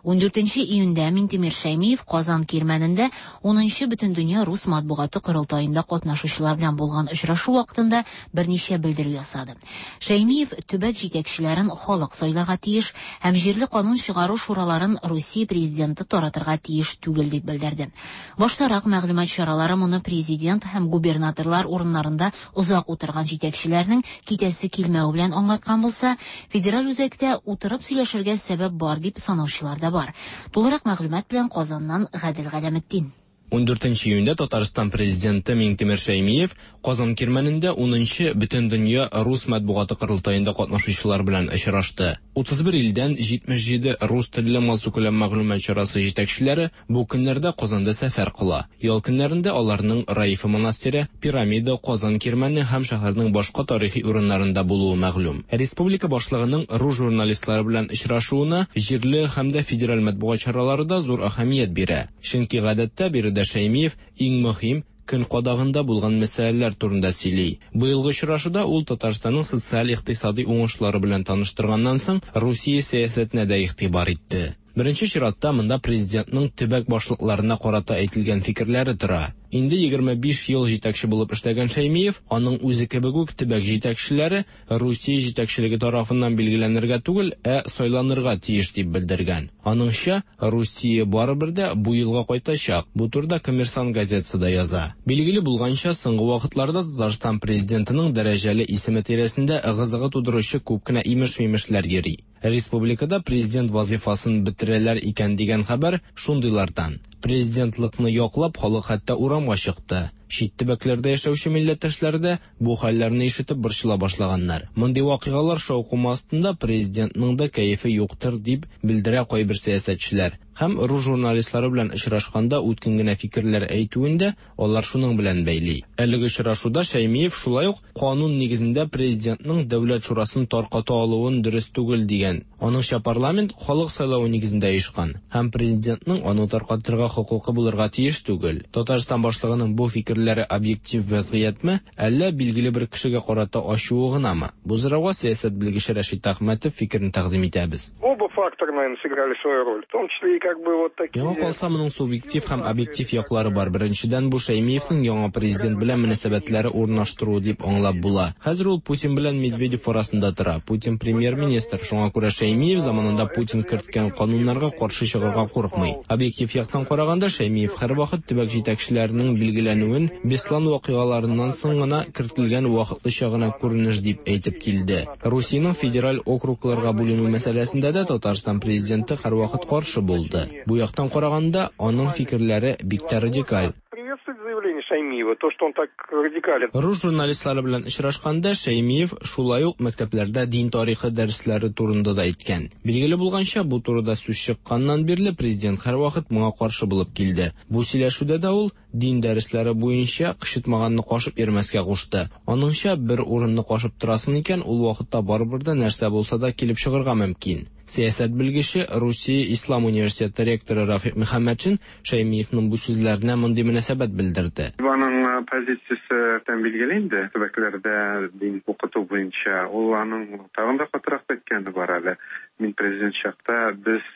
14 июньдә Минтимер Шәймиев Казан Кирмәнендә 10нчы Бөтендөнья рус матбугаты корылтаенда катнашучылар белән булган очрашу вакытында берничә белдерү ясады. Шәймиев төбәк җитәкчеләрен халык сайларга тиеш һәм җирле канун чыгару шураларын Русия президенты таратырга тиеш түгел дип белдерде. Баштарак мәгълүмат чаралары моны президент һәм губернаторлар урыннарында озак утырган җитәкчеләрнең китәсе килмәве белән аңлаткан булса, федераль үзәктә утырып сөйләшергә сәбәп бар дип санаучылар да бар. Тулырак мәгълүмат белән Казаннан Гадел Галәметдин. 14 июньдә Татарстан президенты Миңтимер Шәймиев Казан Кирмәнендә 10нчы Бөтендөнья рус матбугаты корылтаенда катнашучылар белән очрашты. 31 илдән 77 рус телле массакүләм мәгълүмат чарасы җитәкчеләре бу көннәрдә Казанда сәфәр кыла. Ял көннәрендә аларның Раифа монастыре, Пирамида, Казан Кирмәне һәм шәһәрнең башка тарихи урыннарында булуы мәгълүм. Республика башлыгының рус журналистлары белән очрашуына җирле һәм дә федераль матбугат чаралары да зур әһәмият бирә. Чөнки гадәттә биредә Шәймиев иң мөһим, көн кадагында булган мәсьәләләр турында сөйли. Быелгы очрашуда ул Татарстанның социаль-икътисади уңышлары белән таныштырганнан соң, Русия сәясәтенә дә игътибар итте. Беренче чиратта монда президентның төбәк башлыкларына карата әйтелгән фикерләре тора. Инде 25 ел җитәкче булып эшләгән Шәймиев, аның үзе кебек үк төбәк җитәкчеләре Русия җитәкчелеге тарафыннан билгеләнергә түгел, ә сайланырга тиеш дип белдергән. Аныңча, Русия барыбер дә бу юлга кайтачак. Бу турыда Коммерсант газетасы да яза. Билгеле булганча, соңгы вакытларда Татарстан президентының дәрәҗәле исеме тирәсендә ыгы-зыгы тудыручы күп кенә имеш-мимешләр йөри. Республикада президент вазыйфасын бетерәләр икән дигән хәбәр шундыйлардан. Президентлыкны яклап халык хәтта урамга чыкты. Чит төбәкләрдә яшәүче милләттәшләр дә бу хәлләрне ишетеп борчыла башлаганнар. Мондый вакыйгалар шаукымы астында президентның да кәефе юктыр дип белдерә кайбер сәясәтчеләр. Һәм рус журналистлары белән очрашканда үткен генә фикерләр әйтүен дә алар шуның белән бәйли. Әлеге очрашуда Шәймиев шулай ук канун нигезендә президентның Дәүләт шурасын тарката алуын дөрес түгел дигән. Аныңча парламент халык сайлавы нигезендә оешкан һәм президентның аны таркатырга хокукы булырга тиеш түгел. Татарстан башлыгының бу фикерләре объектив вазгыятьме, әллә билгеле бер кешегә карата ачуы гынамы? Бу сорауга сәясәт белгече Рәшит Әхмәтов фикерен тәкъдим итәбез. Оба фактора, наверное, сыграли свою роль, в том числе и как бы вот такие... Миңа калса, моның субъектив һәм объектив яклары бар. Беренчедән, бу Шәймиевнең яңа президент белән мөнәсәбәтләре урнаштыруы дип аңлап була. Хәзер ул Путин белән Медведев арасында тора. Путин премьер-министр, шуңа күрә Шәймиев заманында Путин керткән кануннарга каршы чыгарга курыкмый. Объектив яктан караганда, Шәймиев һәрвакыт төбәк җитәкчеләренең билгеләнүен Беслан вакыйгаларыннан соң гына кертелгән вакытлыча гына күренеш дип әйтеп килде. Русиянең федераль округларга бүленү мәсьәләсендә дә Татарстан президенты һәрвакыт каршы булды. Бу яктан караганда, аның фикерләре бик тә радикаль. Приветствовать заявление Шаймиева, то, что он так радикален. Рус журналистлары белән очрашканда Шәймиев шулай ук мәктәпләрдә дин тарихы дәресләре турында да әйткән. Билгеле булганча, бу турыда сүз чыкканнан бирле президент һәрвакыт моңа каршы булып килде. Бу сөйләшүдә дә ул дин дәресләре буенча кычытмаганны кашып йөрмәскә кушты. Аныңча, бер урынны кашып торасың икән, ул вакытта барыбер дә нәрсә булса да килеп чыгарга мөмкин. Сәясәт белгече, Русия Ислам университеты ректоры Рафик Мөхәммәтшин Шәймиевның бу сүзләренә мондый мөнәсәбәт белдерде. Аның позициясе тән билгеле инде, төбәкләрдә дин укыту буенча. Ул аның тагын да катырак әйткәне бар әле. Мин президент чакта без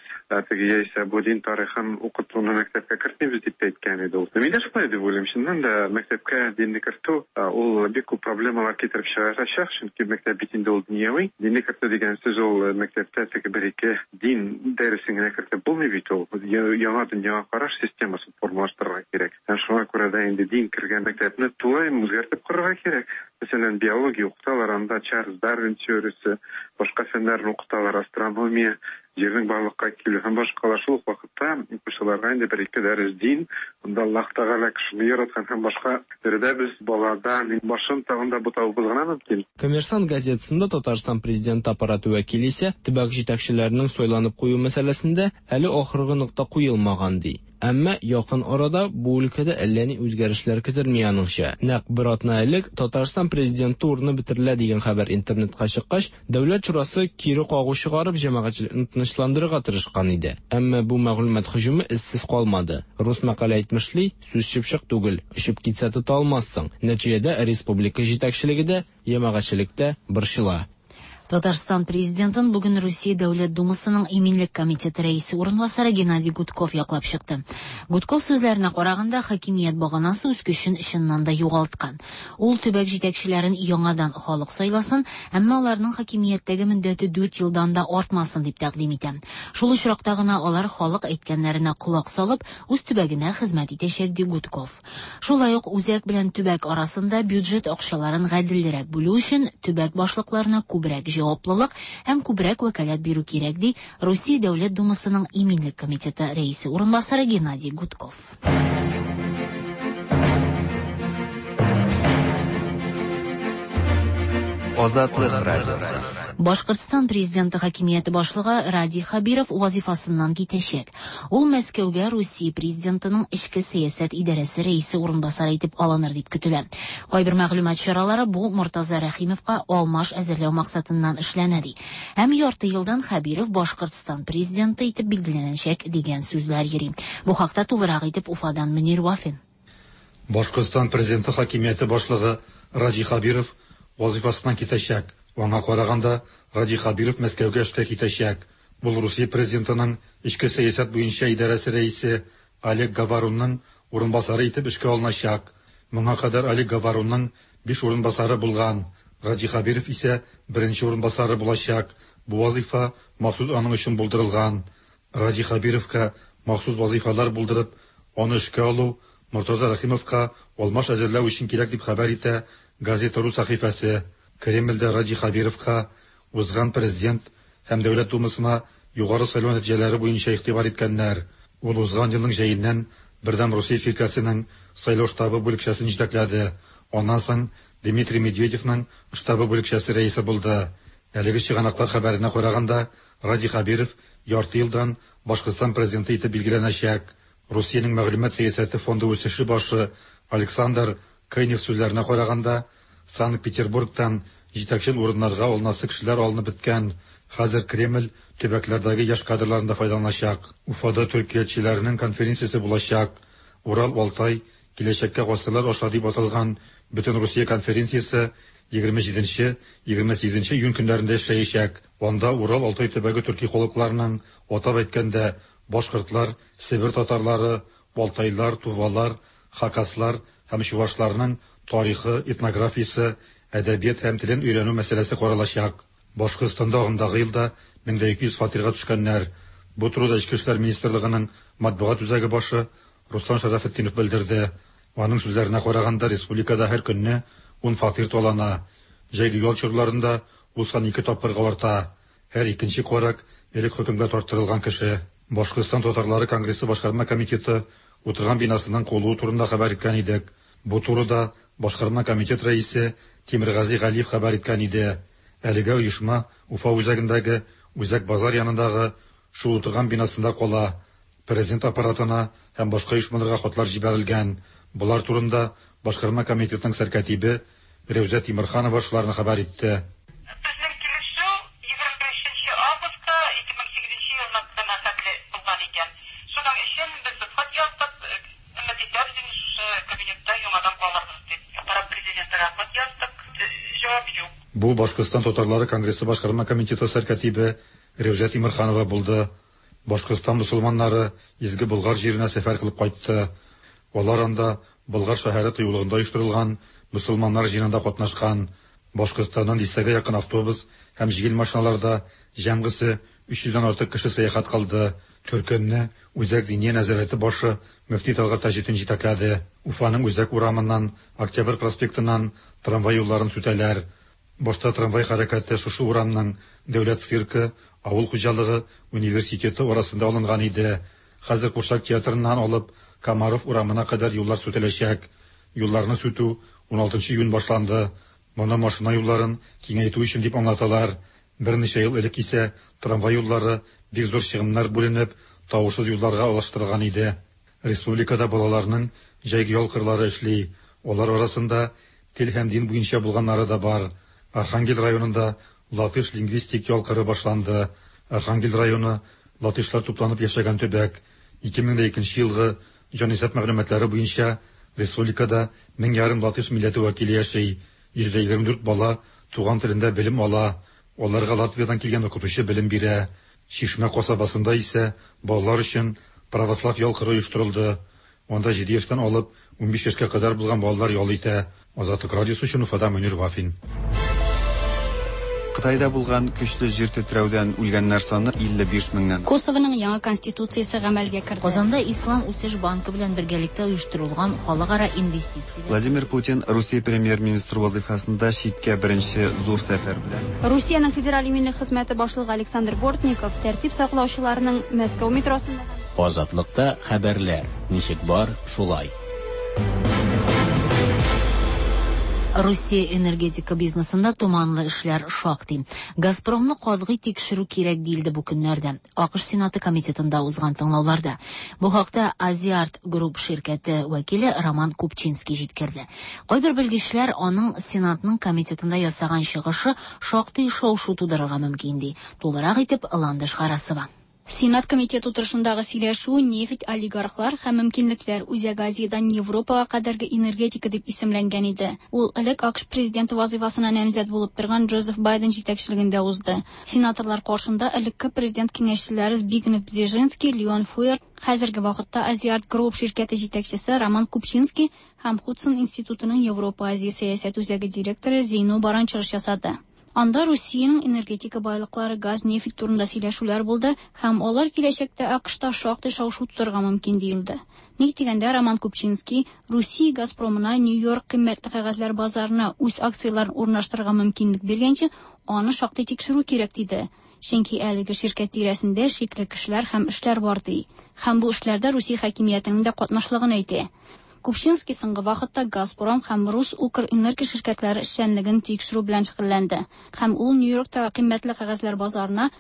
теге яисә бу дин тарихын укытуны мәктәпкә кертмибез дип тә әйткән иде ул. Мин дә шулай дип уйлыйм. Чыннан да мәктәпкә динне кертү ул бик күп проблемалар китереп чыгарачак, чөнки мәктәп бит инде ул дөньяви. Динне кертү дигән сүз ул мәктәптә теге бер-ике дин дәресен генә кертеп булмый бит ул. Яңа дөньяга караш системасын формалаштырырга кирәк. Һәм шуңа күрә дә инде дин кергән мәктәпне тулаем үзгәртеп корырга кирәк. Мәсәлән, биология укыталар, анда Чарльз Дарвин теориясе, башка фәннәрне укыталар, астрономия, җирнең барлыкка килү һәм башкалар. Шул ук вакытта укучыларга инде бер-ике дәрес дин, анда Аллаһ Тәгалә кешене яраткан һәм башка биредә без балада башын тагын да бутавыбыз гына мөмкин. Коммерсант газетасында Татарстан президенты аппараты вәкиле исә төбәк җитәкчеләренең сайланып кую мәсьәләсендә әле ахыргы нокта куелмаган ди. Әмма якын арада бу өлкәдә әллә ни үзгәрешләр көтелми аныңча. Нәкъ бер атна элек Татарстан президенты урыны бетерелә дигән хәбәр интернетка чыккач, Дәүләт шурасы кире кагу чыгарып җәмәгатьчелекне тынычландырырга тырышкан иде. Әмма бу мәгълүмат һөҗүме эзсез калмады. Рус мәкале әйтмешли, сүз чыпчык түгел, очып китсә тота алмассың. Нәтиҗәдә республика җитәкчелеге дә, җәмәгатьчелек тә борчыла. Татарстан Президентын бүген Русия Дәүләт Думасының Иминлек комитеты рәисе урынбасары Геннадий Гудков яклап чыкты. Гудков сүзләренә караганда, хакимият баганасы үз көчен чыннан да югалткан. Ул төбәк җитәкчеләрен яңадан халык сайласын, әмма аларның хакимияттәге мөддәте 4 елдан да артмасын дип тәкъдим итә. Шул очракта гына алар халык әйткәннәренә колак салып, үз төбәгенә хезмәт итәчәк, ди Гудков. Шулай ук үзәк белән төбәк арасында бюджет акчаларын гаделрәк бүлү өчен төбәк башлыкларына күбрәк җаваплылык һәм күбрәк вәкаләт бирү кирәк, ди Русия Дәүләт Думасының Иминлек комитеты рәисе урынбасары Геннадий Гудков. Азатлык радиосы. Башкортстан президенты хакимияте башлыгы Радий Хәбиров вазифасыннан китәчәк. Ул Мәскәүгә Русия президентының эчке сәясәт идарәсе рәисе урынбасары итеп алыныр дип көтелә. Кайбер мәгълүмат чаралары бу Мортаза Рәхимовка алмаш әзерләү максатыннан эшләнә ди. Һәм ярты елдан Хәбиров Башкортстан президенты итеп билгеләнәчәк дигән сүзләр йөри. Бу хакта тулырак итеп Уфадан Мөнир Вафин. Башкортстан президенты хакимияте башлыгы Радий Хәбиров вазифасыннан китәчәк. Аңа караганда, Радий Хәбиров Мәскәүгә эшкә китәчәк. Ул Русия президентының эчке сәясәт буенча идарәсе рәисе Олег Говорунның урынбасары итеп эшкә алыначак. Моңа кадәр Олег Говорунның 5 урынбасары булган. Радий Хәбиров исә беренче урынбасары булачак. Бу вазифа махсус аның өчен булдырылган. Радий Хәбировка махсус вазифалар булдырып, аны эшкә алу Мортаза Рәхимовка алмаш әзерләү өчен кирәк дип хәбәр итә Газета.ру сәхифәсе. Кремльдә Радий Хәбировка узган президент һәм Дәүләт Думасына югары сайлау нәтиҗәләре буенча игътибар иткәннәр. Ул узган елның җәеннән Бердәм Русия фиркәсенең сайлау штабы бүлекчәсен җитәкләде. Аннан соң Дмитрий Медведевның штабы бүлекчәсе рәисе булды. Әлеге чыганаклар хәбәренә караганда, Радий Хәбиров ярты елдан Башкортстан президенты итеп билгеләнәчәк. Русиянең мәгълүмат сәясәте фонды үсеше башы Александр Кынев сүзләренә караганда, Санкт-Петербургтан җитәкчел урыннарга алынасы кешеләр алынып беткән. Хәзер Кремль төбәкләрдәге яшь кадрларын да файдаланачак. Уфада төркиятчеләрнең конференциясе булачак. Урал-Алтай киләчәккә гасырлар аша дип аталган Бөтен Русия конференциясе 27-28 июнь көннәрендә эшләячәк. Анда Урал-Алтай төбәге төрки халыкларының, атап әйткәндә, башкортлар, Себер татарлары, алтайлар, тувалар, хакаслар һәм чувашларның тарихы, этнографиясе, әдәбият һәм телен өйрәнү мәсьәләсе каралачак. Башкортстанда агымдагы елда 1200 фатирга төшкәннәр. Бу турыда Эчке эшләр министрлыгының матбугат үзәге башы Руслан Шәрәфетдинов белдерде. Аның сүзләренә караганда, республикада һәр көнне 10 фатир талана. Җәйге ял чорларында ул сан ике тапкырга арта. Һәр икенче карак элек хөкемгә тарттырылган кеше. Башкортстан татарлары конгрессы башкарма комитеты утырган бинасының куылуы турында хәбәр иткән идек. Бу турыда башкарма комитет рәисе Тимергази Галиев хәбәр иткән иде. Әлегә оешма Уфа үзәгендәге Үзәк базар янындагы шул утырган бинасында кала. Президент аппаратына һәм башка оешмаларга хатлар җибәрелгән. Болар турында башкарма комитетның сәркатибе Рәүзә Тимерханова шуларны хәбәр итте. Безнең килешү 25 нче августта 2008 елның кына хәтле булган икән. Шуның өчен без хат яздык, өмет итәбез инде шушы кабинетта яңадан калырбыз дип. Аппарат президентыга хат яздык, җавап юк. Бу Башкортстан татарлары конгрессы башкарма комитеты сәркатибе Рәүзә Тимерханова булды. Башкортстан мөселманнары Изге Болгар җиренә сәфәр кылып кайтты. Алар анда Болгар шәһәре тыюлыгында оештырылган мөселманнар җыенында катнашкан. Башкортстаннан дистәгә якын автобус һәм җиңел машиналарда җәмгысе 300 дән артык кеше сәяхәт кылды. Төркемне Үзәк Диния нәзарәте башы мөфти Тәлгать Таҗетдин җитәкләде. Уфаның үзәк урамыннан, Октябрь проспектыннан трамвай юлларын сүтәләр. Башта трамвай хәрәкәте шушы урамның Дәүләт циркы, авыл хуҗалыгы университеты арасында алынган иде. Хәзер Курчак театрыннан алып Комаров урамына кадәр юллар сүтеләчәк. Юлларны сүтү 16 июнь башланды. Моны машина юлларын киңәйтү өчен дип аңлаталар. Берничә ел элек исә трамвай юллары бик зур чыгымнар бүленеп, тавышсыз юлларга алыштырылган иде. Республикада балаларның җәйге ял кырлары эшли. Алар арасында тел һәм дин буенча булганнары да бар. Архангел районында латыш лингвистик ял кыры башланды. Архангел районы латышлар тупланып яшәгән төбәк. 2002 елгы җанисәп мәгълүматлары буенча республикада 1500 латыш милләте вәкиле яши. 124 бала туган телендә белем ала. Аларга Латвиядән килгән укытучы белем бирә. Чишмә касабасында исә балалар өчен православ ял кыры оештырылды. Анда җиде яшьтән алып 15 яшькә кадәр булган балалар ял итә. Азатлык радиосы өчен Уфадан Мөнир Вафин. Кытайда булган көчле җир тетрәүдән үлгәннәр саны 55 меңнән. Косовоның яңа конституциясе гамәлгә керде. Казанда Ислам үсеш банкы белән бергәлектә оештырылган халыкара инвестицияләр. Владимир Путин Русия премьер-министры вазыйфасында читкә беренче зур сәфәр белән. Русиянең Федераль иминлек хезмәте башлыгы Александр Бортников тәртип саклаучыларның Мәскәү метросында һәм. Азатлыкта хәбәрләр, ничек бар, шулай. Русия энергетика бизнесында томанлы эшләр шактый. Газпромны катгый тикшерү кирәк диелде бу көннәрдә АКШ Сенаты комитетында узган тыңлауларда. Бу хакта Азиарт Групп ширкәте вәкиле Роман Купчинский җиткерде. Кайбер белгечләр аның Сенатның комитетында ясаган чыгышы шактый шау-шу тудырырга мөмкин ди. Тулырак итеп Ландыш Гарасова. Сенат комитеты утырышындагы сөйләшү нефть, олигархлар һәм мөмкинлекләр Үзәк Азиядән Европага кадәрге энергетика дип исемләнгән иде. Ул элек АКШ президенты вазыйфасына намзәт булып торган Джозеф Байден җитәкчелегендә узды. Сенаторлар каршында элекке президент киңәшчеләре Збигнев Бзежинский, Леон Фуэр, хәзерге вакытта Азиарт Групп ширкәте җитәкчесе Роман Купчинский һәм Худсон институтының Европа-Азия сәясәт үзәге директоры Зейно Баран чыгыш ясады. Анда Русиянең энергетика байлыклары, газ, нефть турында сөйләшүләр булды һәм алар киләчәктә АКШта шактый шау-шу тудырырга мөмкин диелде. Ник дигәндә, Роман Купчинский Русия Газпромына Нью-Йорк кыйммәтле кәгазьләр базарына үз акцияләрен урнаштырырга мөмкинлек биргәнче, аны шактый тикшерү кирәк диде. Чөнки әлеге ширкәт тирәсендә шикле кешеләр һәм эшләр бар ди. Һәм бу эшләрдә Русия хакимиятенең дә катнашлыгын әйтә. Купчинский соңгы вакытта Газпром һәм Рус Укрэнерго ширкәтләре эшчәнлеген тикшерү белән шөгыльләнде. Һәм ул Нью-Йорктагы кыйммәтле кәгазьләр базарына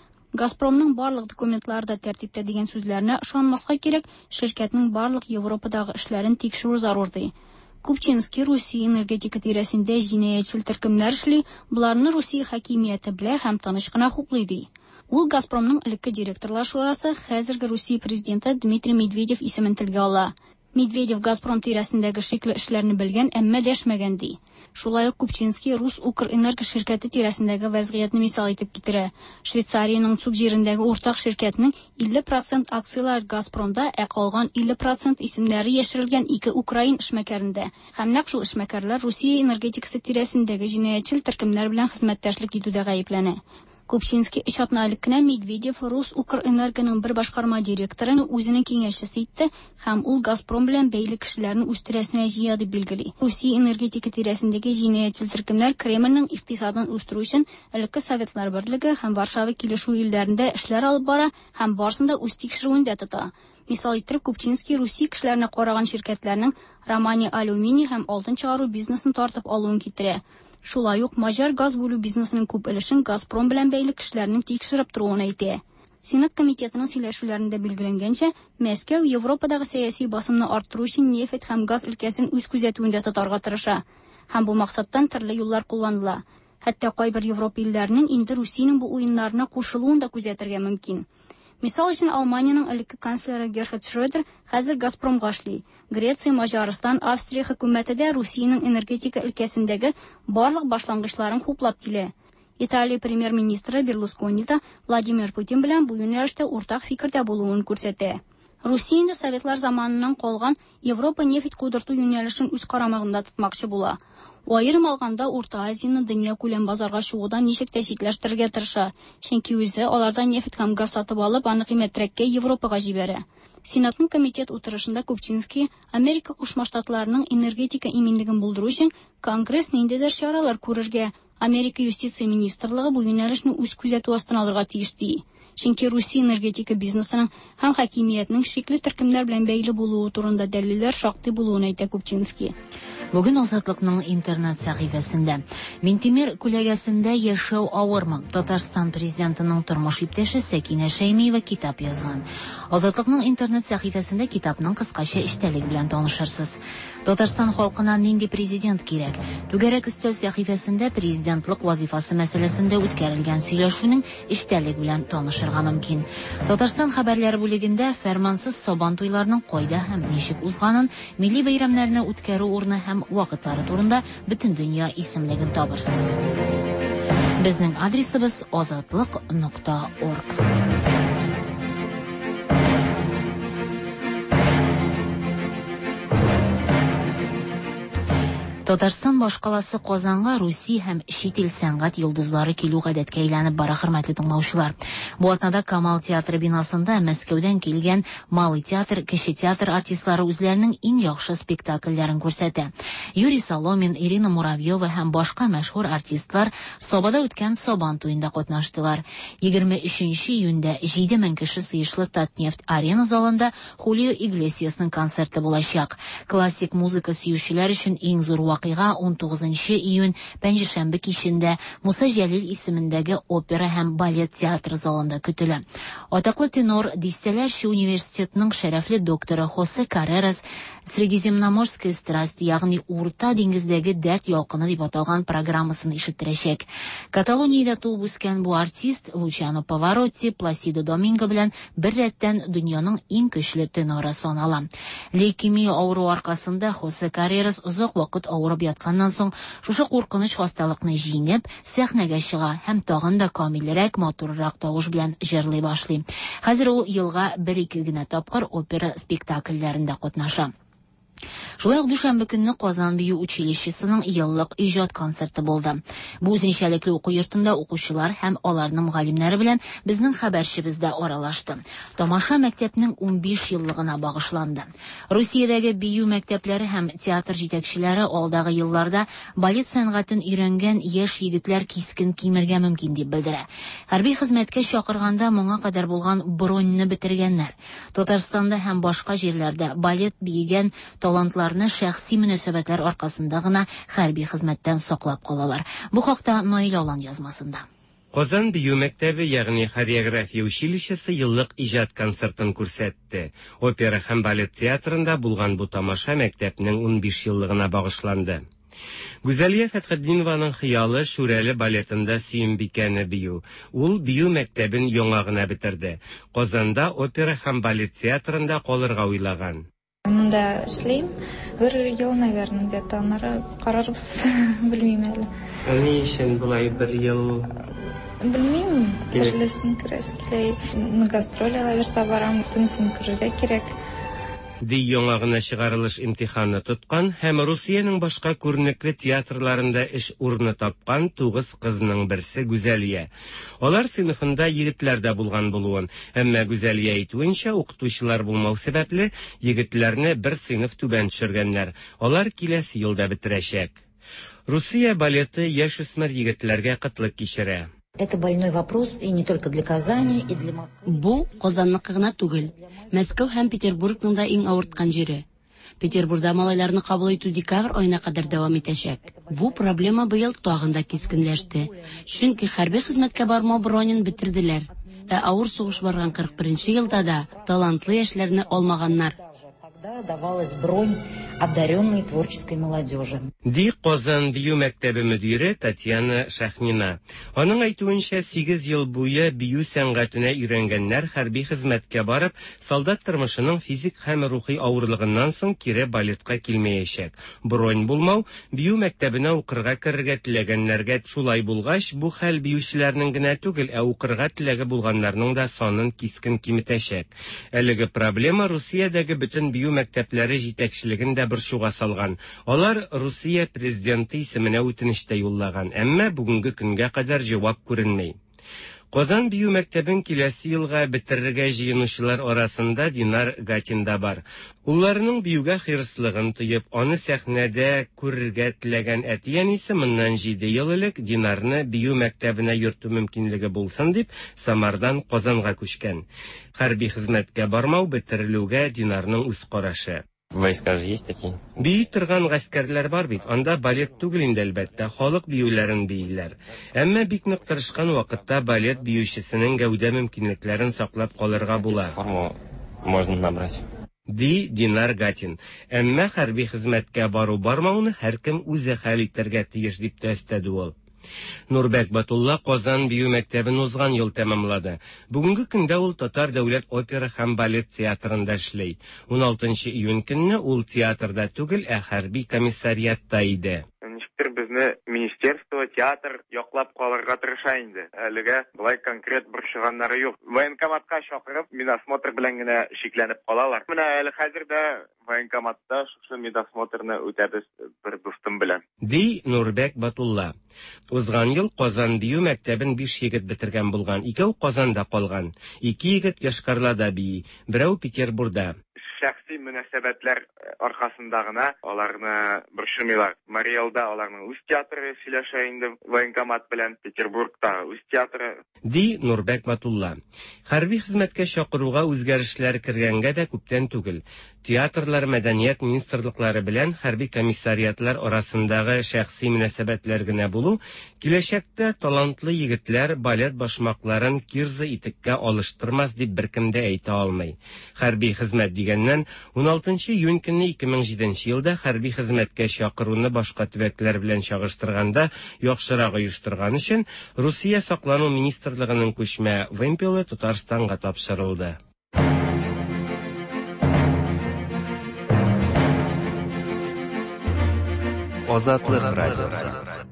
Газпромның барлык документлары да тәртиптә дигән сүзләренә ышанмаска кирәк, ширкәтнең барлык Европадагы эшләрен тикшерү зарур ди. Купчинский Русия энергетика тирәсендә җинаятьчел төркемнәр эшли, боларны Русия хакимияте белә һәм тыныч кына хуплый ди. Ул Газпромның элекке директорлар шурасы, хәзерге Русия президенты Дмитрий Медведев исемен телгә ала. Медведев Газпром тирәсендәге шикле эшләрне белгән, әмма дәшмәгән ди. Шулай ук Купчинский Рус Укрэнерго ширкәте тирәсендәге вәзгыятьне мисал итеп китерә. Швейцариянең Цуг җирендәге уртак ширкәтнең 50 процент акцияләре Газпромда, ә калган 50 процент исемнәре яшерелгән ике украин эшмәкәрендә. Һәм нәкъ шул эшмәкәрләр Русия энергетикасы тирәсендәге җинаятьчел төркемнәр белән хезмәттәшлек итүдә гаепләнә. Купчинский өч атна элек кенә Медведев Рус Укрэнергоның бер башкарма директорын үзенең киңәшчесе итте һәм ул Газпром белән бәйле кешеләрне үз тирәсенә җыя дип билгели. Русия энергетика тирәсендәге җинаятьчел төркемнәр Кремльнең икътисадын үстерү өчен элекке Советлар Берлеге һәм Варшава килешүе илләрендә эшләр алып бара һәм барысын да үз тикшерүендә тота. Мисал иттереп Купчинский Русия кешеләренә караган ширкәтләрнең Романия алюминий һәм алтын чыгару бизнесын тартып алуын китерә. Шулай ук маҗар газ бүлү бизнесының күп өлешен Газпром белән бәйле кешеләрнең тикшереп торуын әйтә. Сенат комитетының сөйләшүләрендә билгеләнгәнчә, Мәскәү Европадагы сәяси басымны арттыру өчен нефть һәм газ өлкәсен үз күзәтүендә тотарга тырыша. Һәм бу максаттан төрле юллар кулланыла. Хәтта кайбер Европа илләренең инде Русиянең бу уеннарына кушылуын да күзәтергә мөмкин. Мисал өчен, Алманиянең элекке канцлеры Герхард Шрёдер хәзер Газпромга эшли. Греция, Маҗарстан, Австрия хөкүмәте дә Русиянең энергетика өлкәсендәге барлык башлангычларын хуплап килә. Италия премьер-министры Берлускони да Владимир Путин белән бу юнәлештә уртак фикердә булуын күрсәтә. Русия инде Советлар заманыннан калган Европа нефть кудырту юнәлешен үз карамагында тотмакчы була. Аерым алганда, Урта Азияне дөнья күләм базарга чыгудан ничек тә читләштерергә тырыша, чөнки үзе алардан нефть һәм газ сатып алып, аны кыйммәтрәккә Европага җибәрә. Сенатның комитет утырышында Купчинский Америка Кушма Штатларының энергетика иминлеген булдыру өчен Конгресс ниндидер чаралар күрергә, Америка юстиция министрлыгы бу юнәлешне үз күзәтү астына алырга тиеш ди. Чөнки Русия энергетика бизнесының һәм хакимиятнең шикле төркемнәр белән бәйле булуы турында дәлилләр шактый булуын әйтә Купчинский. Бүген Азатлыкның интернет сәхифәсендә Минтимер күләгәсендә яшәү авырмы? Татарстан президентының тормыш иптәше Сәкинә Шәймиева китап язган. Азатлыкның интернет сәхифәсендә китапның кыскача эчтәлеге белән танышырсыз. Татарстан халкына нинди президент кирәк? Түгәрәк өстәл сәхифәсендә президентлык вазифасы мәсьәләсендә үткәрелгән сөйләшүнең эчтәлеге белән танышырга мөмкин. Татарстан хәбәрләре бүлегендә фәрмансыз сабан туйларының кайда һәм ничек узганын, милли бәйрәмнәрне үткәрү урыны һәм вакытлары турында бөтен дөнья исемлеген табырсыз. Безнең адресыбыз азатлык нокта орг. Татарстан башкаласы Казанга Русия һәм чит ил сәнгать йолдызлары килү гадәткә әйләнеп бара, хөрмәтле тыңлаучылар. Бу атнада Камал театры бинасында Мәскәүдән килгән Малый театр, Кече театр артистлары үзләренең иң яхшы спектакльләрен күрсәтә. Юрий Соломин, Ирина Муравьева һәм башка мәшһүр артистлар Сабада үткән Сабан туенда катнаштылар. 23 июньдә 7000 кеше сыешлы Татнефть-Арена залында Хулио Иглесиасның концерты булачак. Классик музыка сөючеләр өчен иң зур вакыйга 19 июнь, пәнҗешәмбе кичендә Муса Җәлил исемендәге опера һәм балет театры залында көтелә. Атаклы тенор, дистәләрчә университетның шәрәфле докторы Хосе Каррерас Средиземноморская страсть, ягъни Урта диңгездәге дәрт ялкыны дип аталган программасын ишеттерәчәк. Каталониядә туып үскән бу артист Лучано Паваротти, Пласидо Доминго белән бер рәттән дөньяның иң көчле теноры санала. Лейкемия авыруы аркасында Хосе Каррерас озак вакыт авырып ятканнан соң, шушы куркыныч хасталыкны җиңеп, сәхнәгә чыга һәм тагын да камилрәк, матуррак тавыш белән җырлый башлый. Хәзер ул елга бер-ике генә тапкыр опера спектакльләрендә катнаша. Шулай ук дүшәмбе көнне Казан бию училищесының еллык иҗат концерты булды. Бу үзенчәлекле уку йортында укучылар һәм аларның мөгаллимнәре белән безнең хәбәрчебез дә аралашты. Тамаша мәктәпнең 15 еллыгына багышланды. Русиядәге бию мәктәпләре һәм театр җитәкчеләре алдагы елларда балет сәнгатен өйрәнгән яшь егетләр кискен кимергә мөмкин дип белдерә. Хәрби хезмәткә чакырганда моңа кадәр булган броньны бетергәннәр. Татарстанда һәм башка җирләрдә балет биегән талантларны шәхси мөнәсәбәтләр аркасында гына хәрби хезмәттән саклап калалар. Бу хакта Наил Алан язмасында. Казан бию мәктәбе, ягъни хореография училищесы еллык иҗат концертын күрсәтте. Опера һәм балет театрында булган бу тамаша мәктәпнең 15 еллыгына багышланды. Гүзәлия Фәтхетдинованың хыялы Шүрәле балетында Сөембикәне бию. Ул бию мәктәбен яңа гына бетерде. Казанда опера һәм балет театрында калырга уйлаган. Монда эшлим. Бер ел, наверное, где-то. Аннары карарбыз, белмим әле. Ә ни өчен болай бер ел? Белмим, төрлесен күрәсе килә. На гастроль алабирса барам, бөтенесен күрергә кирәк. Ди яңа гына чыгарылыш имтиханы тоткан һәм Русиянең башка күренекле театрларында эш урыны тапкан тугыз кызның берсе Гүзәлия. Алар сыйныфында егетләр дә булган булуын, әмма Гүзәлия әйтүенчә, укытучылар булмау сәбәпле, егетләрне бер сыйныф түбән төшергәннәр. Алар киләсе елда бетерәчәк. Русия балеты яшүсмер егетләргә кытлык кичерә. Это больной вопрос и не только для Казани, и для Москвы. Бу, Казанныкы гына түгел, Мәскәү һәм Петербургның да иң авырткан җире. Петербурда малайларны кабул итү декабрь аена кадәр дәвам итәчәк. Бу проблема быел тагын да кискенләште. Чөнки хәрби хезмәткә бармау бронен бетерделәр. Ә авыр сугыш барган 41 нче елда да талантлы яшьләрне алмаганнар. Тогда давалась бронь одаренной творческой молодежи. Ди Казан бию мәктәбе мөдире Татьяна Шахнина. Аның әйтүенчә, сигез ел буе бию сәнгатенә өйрәнгәннәр хәрби хезмәткә барып, солдат тормышының физик һәм рухи авырлыгыннан соң кире балетка килмәячәк. Бронь булмау, бию мәктәбенә укырга керергә теләгәннәргә шулай булгач, бу хәл биючеләрнең генә түгел, ә укырга теләге булганнарның да санын кискен киметәчәк. Әлеге проблема Русиядәге бөтен бию мәктәпләре җитәкчелеген дә борчуга салган. Алар Русия президенты исеменә үтенеч тә юллаган, әмма бүгенге көнгә кадәр җавап күренми. Казан бию мәктәбен киләсе елга бетерергә җыенучылар арасында Динар Гатин да бар. Улларының биюгә хирыслыгын тоеп, аны сәхнәдә күрергә теләгән әти-әнисе моннан җиде ел элек Динарны бию мәктәбенә йөртү мөмкинлеге булсын дип, Самардан Казанга күчкән. Хәрби хезмәткә бармау бетерелүгә Динарның үз карашы. Войска же есть такие. Бии торган гаскәрләр бар бит, анда балет түгел инде, әлбәттә, халык биюләрен бииләр. Әмма бик нык тырышкан вакытта балет биючесенең гәүдә мөмкинлекләрен саклап калырга була. Форму можно набрать. Ди Динар Гатин. Әмма хәрби хезмәткә бару-бармауны һәркем үзе хәл итәргә тиеш, дип тә өстәде ул. Нурбәк Батулла Казан бию мәктәбен узган ел тәмамлады. Бүгенге көндә ул Татар дәүләт опера һәм балет театрында эшли. 16 июнь көнне ул театрда түгел, ә хәрби комиссариатта иде. Ничектер безнең Безне министерство, театр яклап калырга тырыша инде. Әлегә болай конкрет борчыганнары юк. Военкоматка чакырып, медосмотр белән генә шикләнеп калалар. Менә әле хәзер дә военкоматта шушы медосмотрны үтәбез бер дустым белән. Ди Нурбәк Батулла. Узган ел Казан бию мәктәбен биш егет бетергән булган, икәү Казанда калган. Ике егет Йошкар-Олада бии, берәү Петербурда. Шәхси мөнәсәбәтләр аркасында гына аларны борчымыйлар. Марий Элда аларның үз театры сөйләшә инде военкомат белән, Петербургта үз театры. Ди Нурбәк Батулла. Хәрби хезмәткә чакыруга үзгәрешләр кергәнгә дә күптән түгел. Театрлар, мәдәният министрлыклары белән хәрби комиссариатлар арасындагы шәхси мөнәсәбәтләр генә булу, киләчәктә талантлы егетләр балет башмакларын кирза итеккә алыштырмас дип беркем дә әйтә алмый. Хәрби хезмәт дигәннән, уналтынчы июнь көнне 2007 нче елда хәрби хезмәткә чакыруны башка төбәкләр белән чагыштырганда яхшырак оештырган өчен, Русия Саклану министрлыгының күчмә вымпелы Татарстанга тапшырылды. Азатлык радиосы.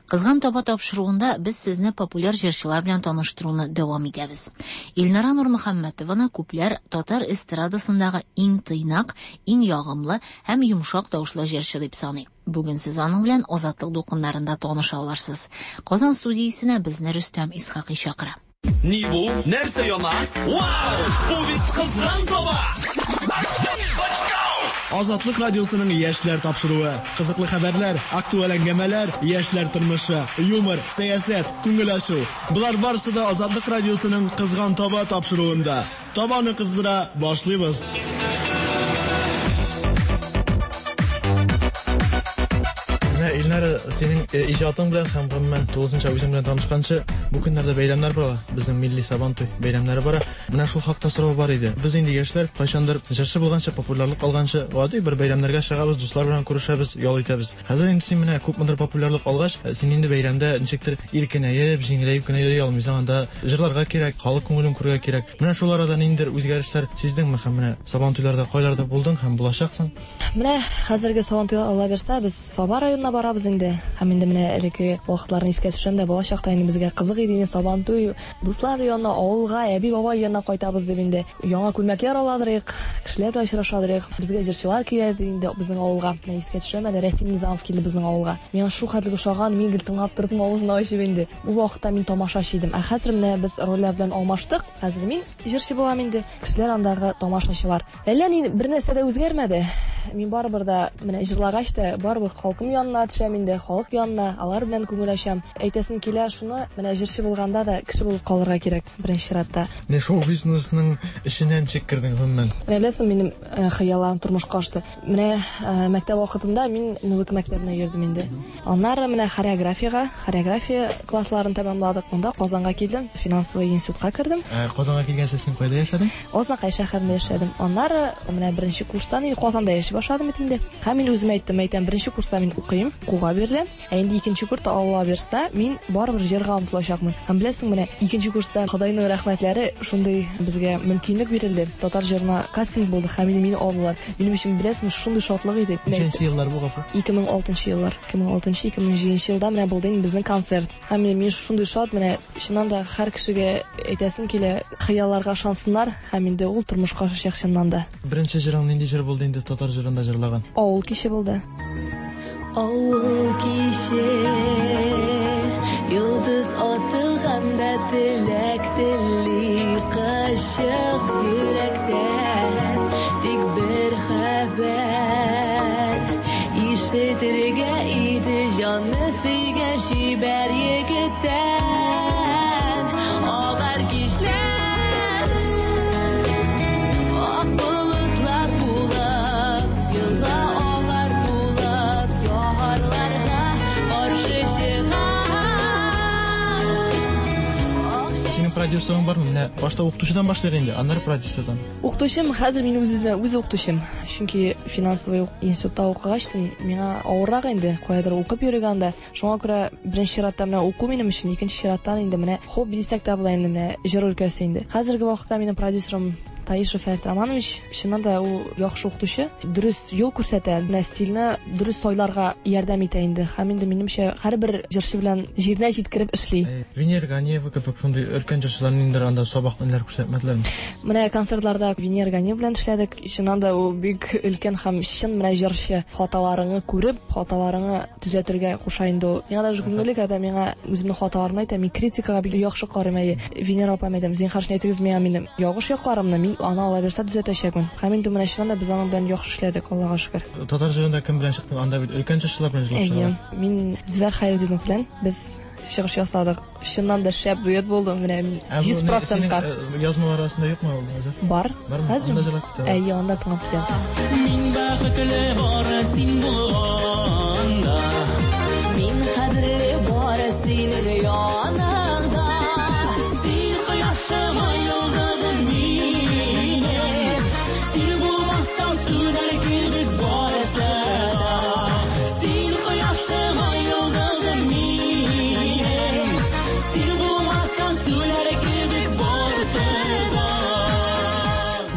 Кызган таба тапшыруында без сезне популяр җырчылар белән таныштыруны дәвам итәбез. Илнара Нурмөхәммәтованы күпләр татар эстрадасындагы иң тыйнак, иң ягымлы һәм йомшак тавышлы җырчы дип саный. Бүген сез аның белән Азатлык дулкыннарында таныша алырсыз. Казан студиясенә безне Рөстәм Исхакый чакыра. Ни бу? Нәрсә яна? Вау! Бу бит кызган таба! Азатлык радиосының яшьләр тапшыруы. Кызыклы хәбәрләр, актуаль әңгәмәләр, яшьләр тормышы, юмор, сәясәт, күңел ачу. Болар барысы да Азатлык радиосының Кызган таба тапшыруында. Табаны кыздыра башлыйбыз. Менә, Илнара, синең э, иҗатың белән һәм гомумән тулысынча үзең белән танышканчы, бу көннәрдә бәйрәмнәр бара, безнең милли Сабантуй бәйрәмнәре бара. Менә шул хакта сорау бар иде. Без инде яшьләр, кайчандыр җырчы булганчы, популярлык алганчы, гади бер бәйрәмнәргә чыгабыз, дуслар белән күрешәбез, ял итәбез. Хәзер инде син менә күпмедер популярлык алгач, э, син инде бәйрәмдә ничектер иркенәеп, җиңеләеп кенә йөри алмыйсың, анда җырларга кирәк, халык күңелен күрергә кирәк. Менә шул арада ниндидер үзгәрешләр сиздеңме һәм менә Сабантуйларда кайларда булдың һәм булачаксың? Менә хәзерге Сабантуйга Алла бирсә, без Саба районына барабыз инде. Һәм инде менә элекке вакытларны искә төшерәм дә, бала чакта инде безгә кызык иде инде Сабантуй, дуслар янына, авылга, әби-бабай янына кайтабыз дип инде. Яңа күлмәкләр аладырыйк, кешеләр белән очрашадырыйк. Безгә җырчылар килә иде инде безнең авылга. Менә искә төшерәм әле, Рәсим Низамов килде безнең авылга. Миңа шул хәтле ошаган, мин гел тыңлап тордым авызын ачып инде. Ул вакытта мин тамашачы идем. Ә хәзер менә без рольләр белән алмаштык. Хәзер мин җырчы булам инде. Кешеләр андагы тамашачылар. Әллә ни бер нәрсә дә үзгәрмәде. Мин барыбер да менә җырлагач та барыбер халкым янына төшәм инде, халык янына, алар белән күңел ачам. Әйтәсем килә шуны, менә җырчы булганда да кеше булып калырга кирәк беренче чиратта. Менә шоу-бизнесның эченә ничек кердең гомумән? Менә беләсең, минем э, хыялларым тормышка ашты. Менә э, мәктәп вакытында мин музыка мәктәбенә йөрдем инде. Аннары менә хореографиягә, хореография классларын тәмамладык. Монда Казанга килдем, финансовый институтка кердем. Ә, Казанга килгәнче син кайда яшәдең? Азнакай шәһәрендә яшәдем. Аннары менә беренче курстан инде Казанда яши башладым бит инде. Һәм мин үземә әйттем, әйтәм, беренче курста мин укыйм, укуга биреләм. Ә инде икенче курста Алла бирса, мин барыбер җырга омтылачакмын. Һәм беләсең, менә икенче курста Ходайның рәхмәтләре шундый безгә мөмкинлек бирелде. Татар җырына кастинг булды һәм инде мине алдылар. Минем өчен, беләсеңме, шундый шатлык иде. Ничәнче еллар бу, гафу? 2006 еллар. 2006-2007 елда менә булды инде безнең концерт. Һәм менә мин шундый шат, менә чыннан да һәр кешегә әйтәсем килә, хыялларга ышансыннар һәм инде ул тормышка ашачак чыннан да. Беренче җырың нинди җыр булды инде татар җырында җырлаган? Авыл киче булды. Авыл киче, йолдыз атылганда теләк тели кычык йөрәктән. Тик бер хәбәр ишетергә иде җанны сөйгән чибәр егеттән. Агар кичләр, ак болытлар тулып, елга агар тулып, ярларга каршы чыгар. Синең продюсерың бармы? Менә башта укытучыдан башлыйк инде, аннары продюсердан. Укытучым, хәзер мин үз-үземә үз укытучым. Чөнки финансовый институтта укыгач, миңа авыррак инде, каядыр укып йөрергә анда. Шуңа күрә беренче чиратта менә уку минем өчен, икенче чираттан инде менә хобби дисәк тә була инде менә җыр өлкәсе инде. Хәзерге вакытта минем продюсерым Таишев Фәрит Романович, чыннан да ул яхшы укытучы, дөрес юл күрсәтә, менә стильне дөрес сайларга ярдәм итә инде. Һәм инде минемчә һәрбер җырчы белән җиренә җиткереп эшли. Венера Ганиева кебек шундый өлкән җырчылар ниндидер анда сабак ниләр күрсәтмәделәрме? Менә концертларда Венера Ганиева белән эшләдек. Чыннан да ул бик өлкән һәм чын менә җырчы. Хаталарыңны күреп, хаталарыңны төзәтергә куша инде ул. Миңа даже күңелле, когда миңа үземнең хаталарымны әйтә, мин критикага бик яхшы карыйм, әйе. Венера апам әйтәм, зинһар өчен әйтегез миңа минем ялгыш якларымны, мин аны ала бирсә төзәтәчәкмен. Һәм инде менә чыннан да без аның белән яхшы эшләдек, Аллага шөкер. Татар җырында кем белән чыктың? Анда бит өлкән җырчылар белән җырлап Әйе, чыгалар. мин Зөфәр Хәйретдинов белән без чыгыш ясадык. Чыннан да шәп дуэт булды, менә Ә бу 100 не- процентка. синең, Язмалар арасында юкмы ул хәзер? Бар. Бармы? Хәзер. Анда җырлап китә. Әйе, анда тыңлап китәбез. Мин бәхетле бары син булганда. Мин кадерле бары синең яныңда. Син кояшым, ай йолдызым минем. Син булмасаң сүнәр кебек барысы да. Син кояшым, ай йолдызым минем. Син булмасаң сүнәр кебек барысы да.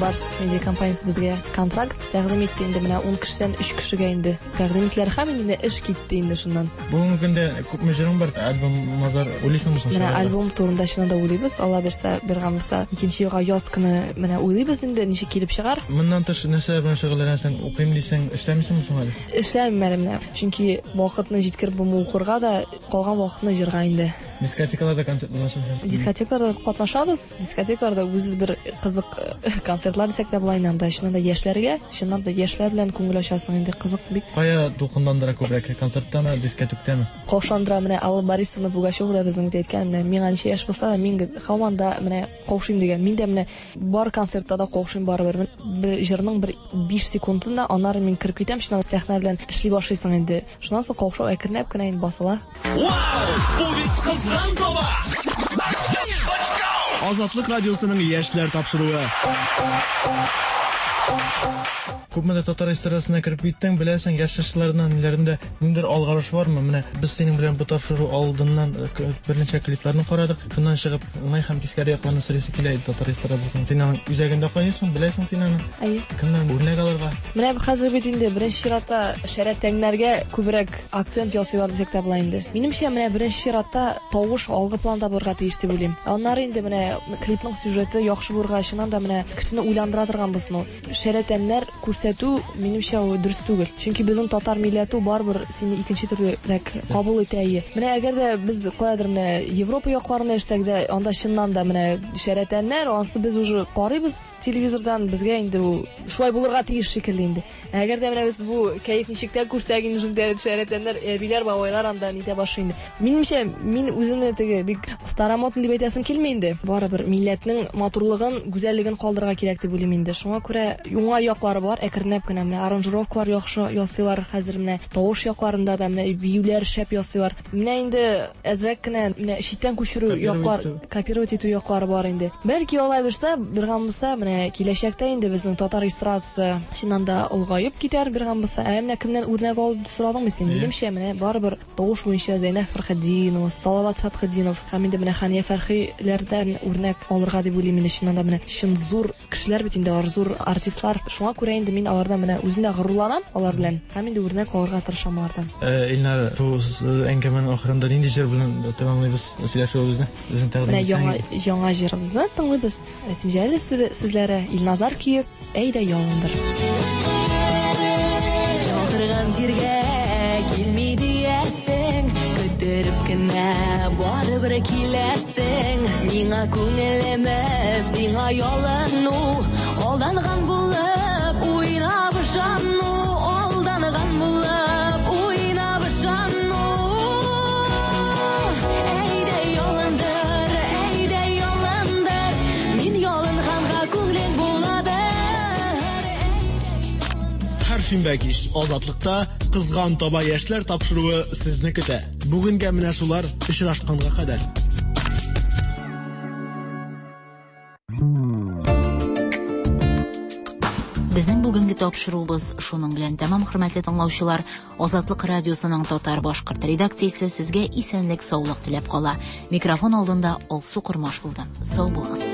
Барс медиа компаниясе безгә контракт тәкъдим итте инде менә 10 кешедән 3 кешегә инде тәкъдим иттеләр һәм инде эш китте инде шуннан. Бүгенге көндә күпме җырың бар? Альбом мазар уйлыйсыңмы соң? Менә чыгарырга? альбом турында чыннан да уйлыйбыз. Алла бирсә, бер гам булса, икенче елга яз көне менә уйлыйбыз инде, ничек килеп чыгар. Моннан тыш нәрсәләр белән шөгыльләнәсең? Укыйм дисең, эшләмисеңме соң әле? Эшләмим әле менә, чөнки вакытны җиткереп булмый укырга да, калган вакытны җырга инде. Дискотекаларда концерт белән Дискотекаларда катнашабыз. Дискотекаларда үзе бер кызык концертлар дисәк тә була инде анда. Чыннан да яшьләргә, чыннан да яшьләр белән күңел ачасың инде, кызык бик. Кая дулкынландыра күбрәк, концерттамы, дискотектәме? Каушандыра менә Алла Борисовна Пугачева да безнең бит әйткән, менә миңа ничә яшь булса да, мин һаман да менә каушыйм дигән. Мин дә менә бар концертта да каушыйм барыбер. Бер җырның бер 5 секундын да аннары мин кереп китәм, чыннан да сәхнә белән эшли башлыйсың инде. Шуннан соң каушау әкренләп кенә инде басыла. Вау! Бу бит кызган таба! Азатлык радиосының яшьләр тапшыруы. Күпмедер татар эстрадасына кереп киттең, беләсең, яшь җырчыларның ниләрендә ниндидер алгарыш бармы? Менә без синең белән бу тапшыру алдыннан берничә клипларны карадык. Шуннан чыгып, уңай һәм тискәре якларны сөйлисе килә иде татар эстрадасының. Син аның үзәгендә кайныйсың, беләсең син аны. Әйе. Кемнән үрнәк алырга? Менә хәзер бит инде беренче чиратта шәрә тәңнәргә күбрәк акцент ясыйлар дисәк тә була инде. Минемчә, менә беренче чиратта тавыш алгы планда булырга тиеш дип уйлыйм. Аннары инде менә клипның сюжеты яхшы булырга, чыннан да менә кешене уйландыра торган булсын ул. Шәрә тәннәр күрсәтү, минемчә, ул дөрес түгел. Чөнки безнең татар милләте барыбер сине икенче төрлерәк кабул итә. Әйе. Менә әгәр дә без каядыр менә Европа якларында яшәсәк дә, анда чыннан да менә шәрә тәннәр, ансы без уже карыйбыз телевизордан, безгә инде ул шулай булырга тиеш шикелле инде. Әгәр дә менә без бу кәеф ничек тә күрсәк инде шундый шәрә тәннәр, әбиләр, бабайлар анда нитә башлый инде. Минемчә, мин үземне теге бик старомодный дип әйтәсем килми инде. Барыбер милләтнең матурлыгын, гүзәллеген калдырырга кирәк дип уйлыйм инде. Шуңа күрә уңай яклары бар, әкренләп кенә менә аранжировкалар яхшы ясыйлар хәзер менә тавыш якларында да менә биюләр шәп ясыйлар. Менә инде әзрәк кенә менә читтән күчерү яклар, копировать итү яклары бар инде. Бәлки алай булса, бер гам булса, менә киләчәктә инде безнең татар эстрадасы чыннан да олыгаеп китәр бер гам булса. Ә менә кемнән үрнәк алып сорадыңмы син? Минемчә, менә барыбер тавыш буенча Зәйнәб Фәрхетдинова, Салават Фәтхетдинов һәм инде менә Хәния Фәрхиләрдән үрнәк алырга дип уйлыйм инде. Чыннан да менә чын зур кешеләр бит инде алар, зур артистлар. Шуңа күрә инде мин алардан менә үзем дә горурланам алар белән һәм инде үрнәк алырга тырышам алардан. Илнар, бу әңгәмәнең ахырында нинди җыр белән тәмамлыйбыз сөйләшүебезне? Үзең тәкъдим Менә итсәң. яңа җырыбызны тыңлыйбыз. Рәсим Җәлилов сүзләре, Илназар көе, Әйдә ялындыр. Чакырган җиргә килми диясең, көттереп кенә барыбер киләсең. Миңа күңелеме, сиңа ялыну, алданган булып уйнап ышану, алданган булып уйнап ышану. Әйдә ялындыр, әйдә ялындыр, мин ялынганга күңелең буладыр. Һәр шимбә кич Азатлыкта Кызган таба яшьләр тапшыруы сезне көтә. Бүгенгә менә шулар, очрашканга кадәр. Безнең бүгенге тапшыруыбыз шуның белән тәмам, хөрмәтле тыңлаучылар. Азатлык радиосының татар башкорт редакциясе сезгә исәнлек, саулык теләп кала. Микрофон алдында Алсу Кормаш булды. Сау булыгыз.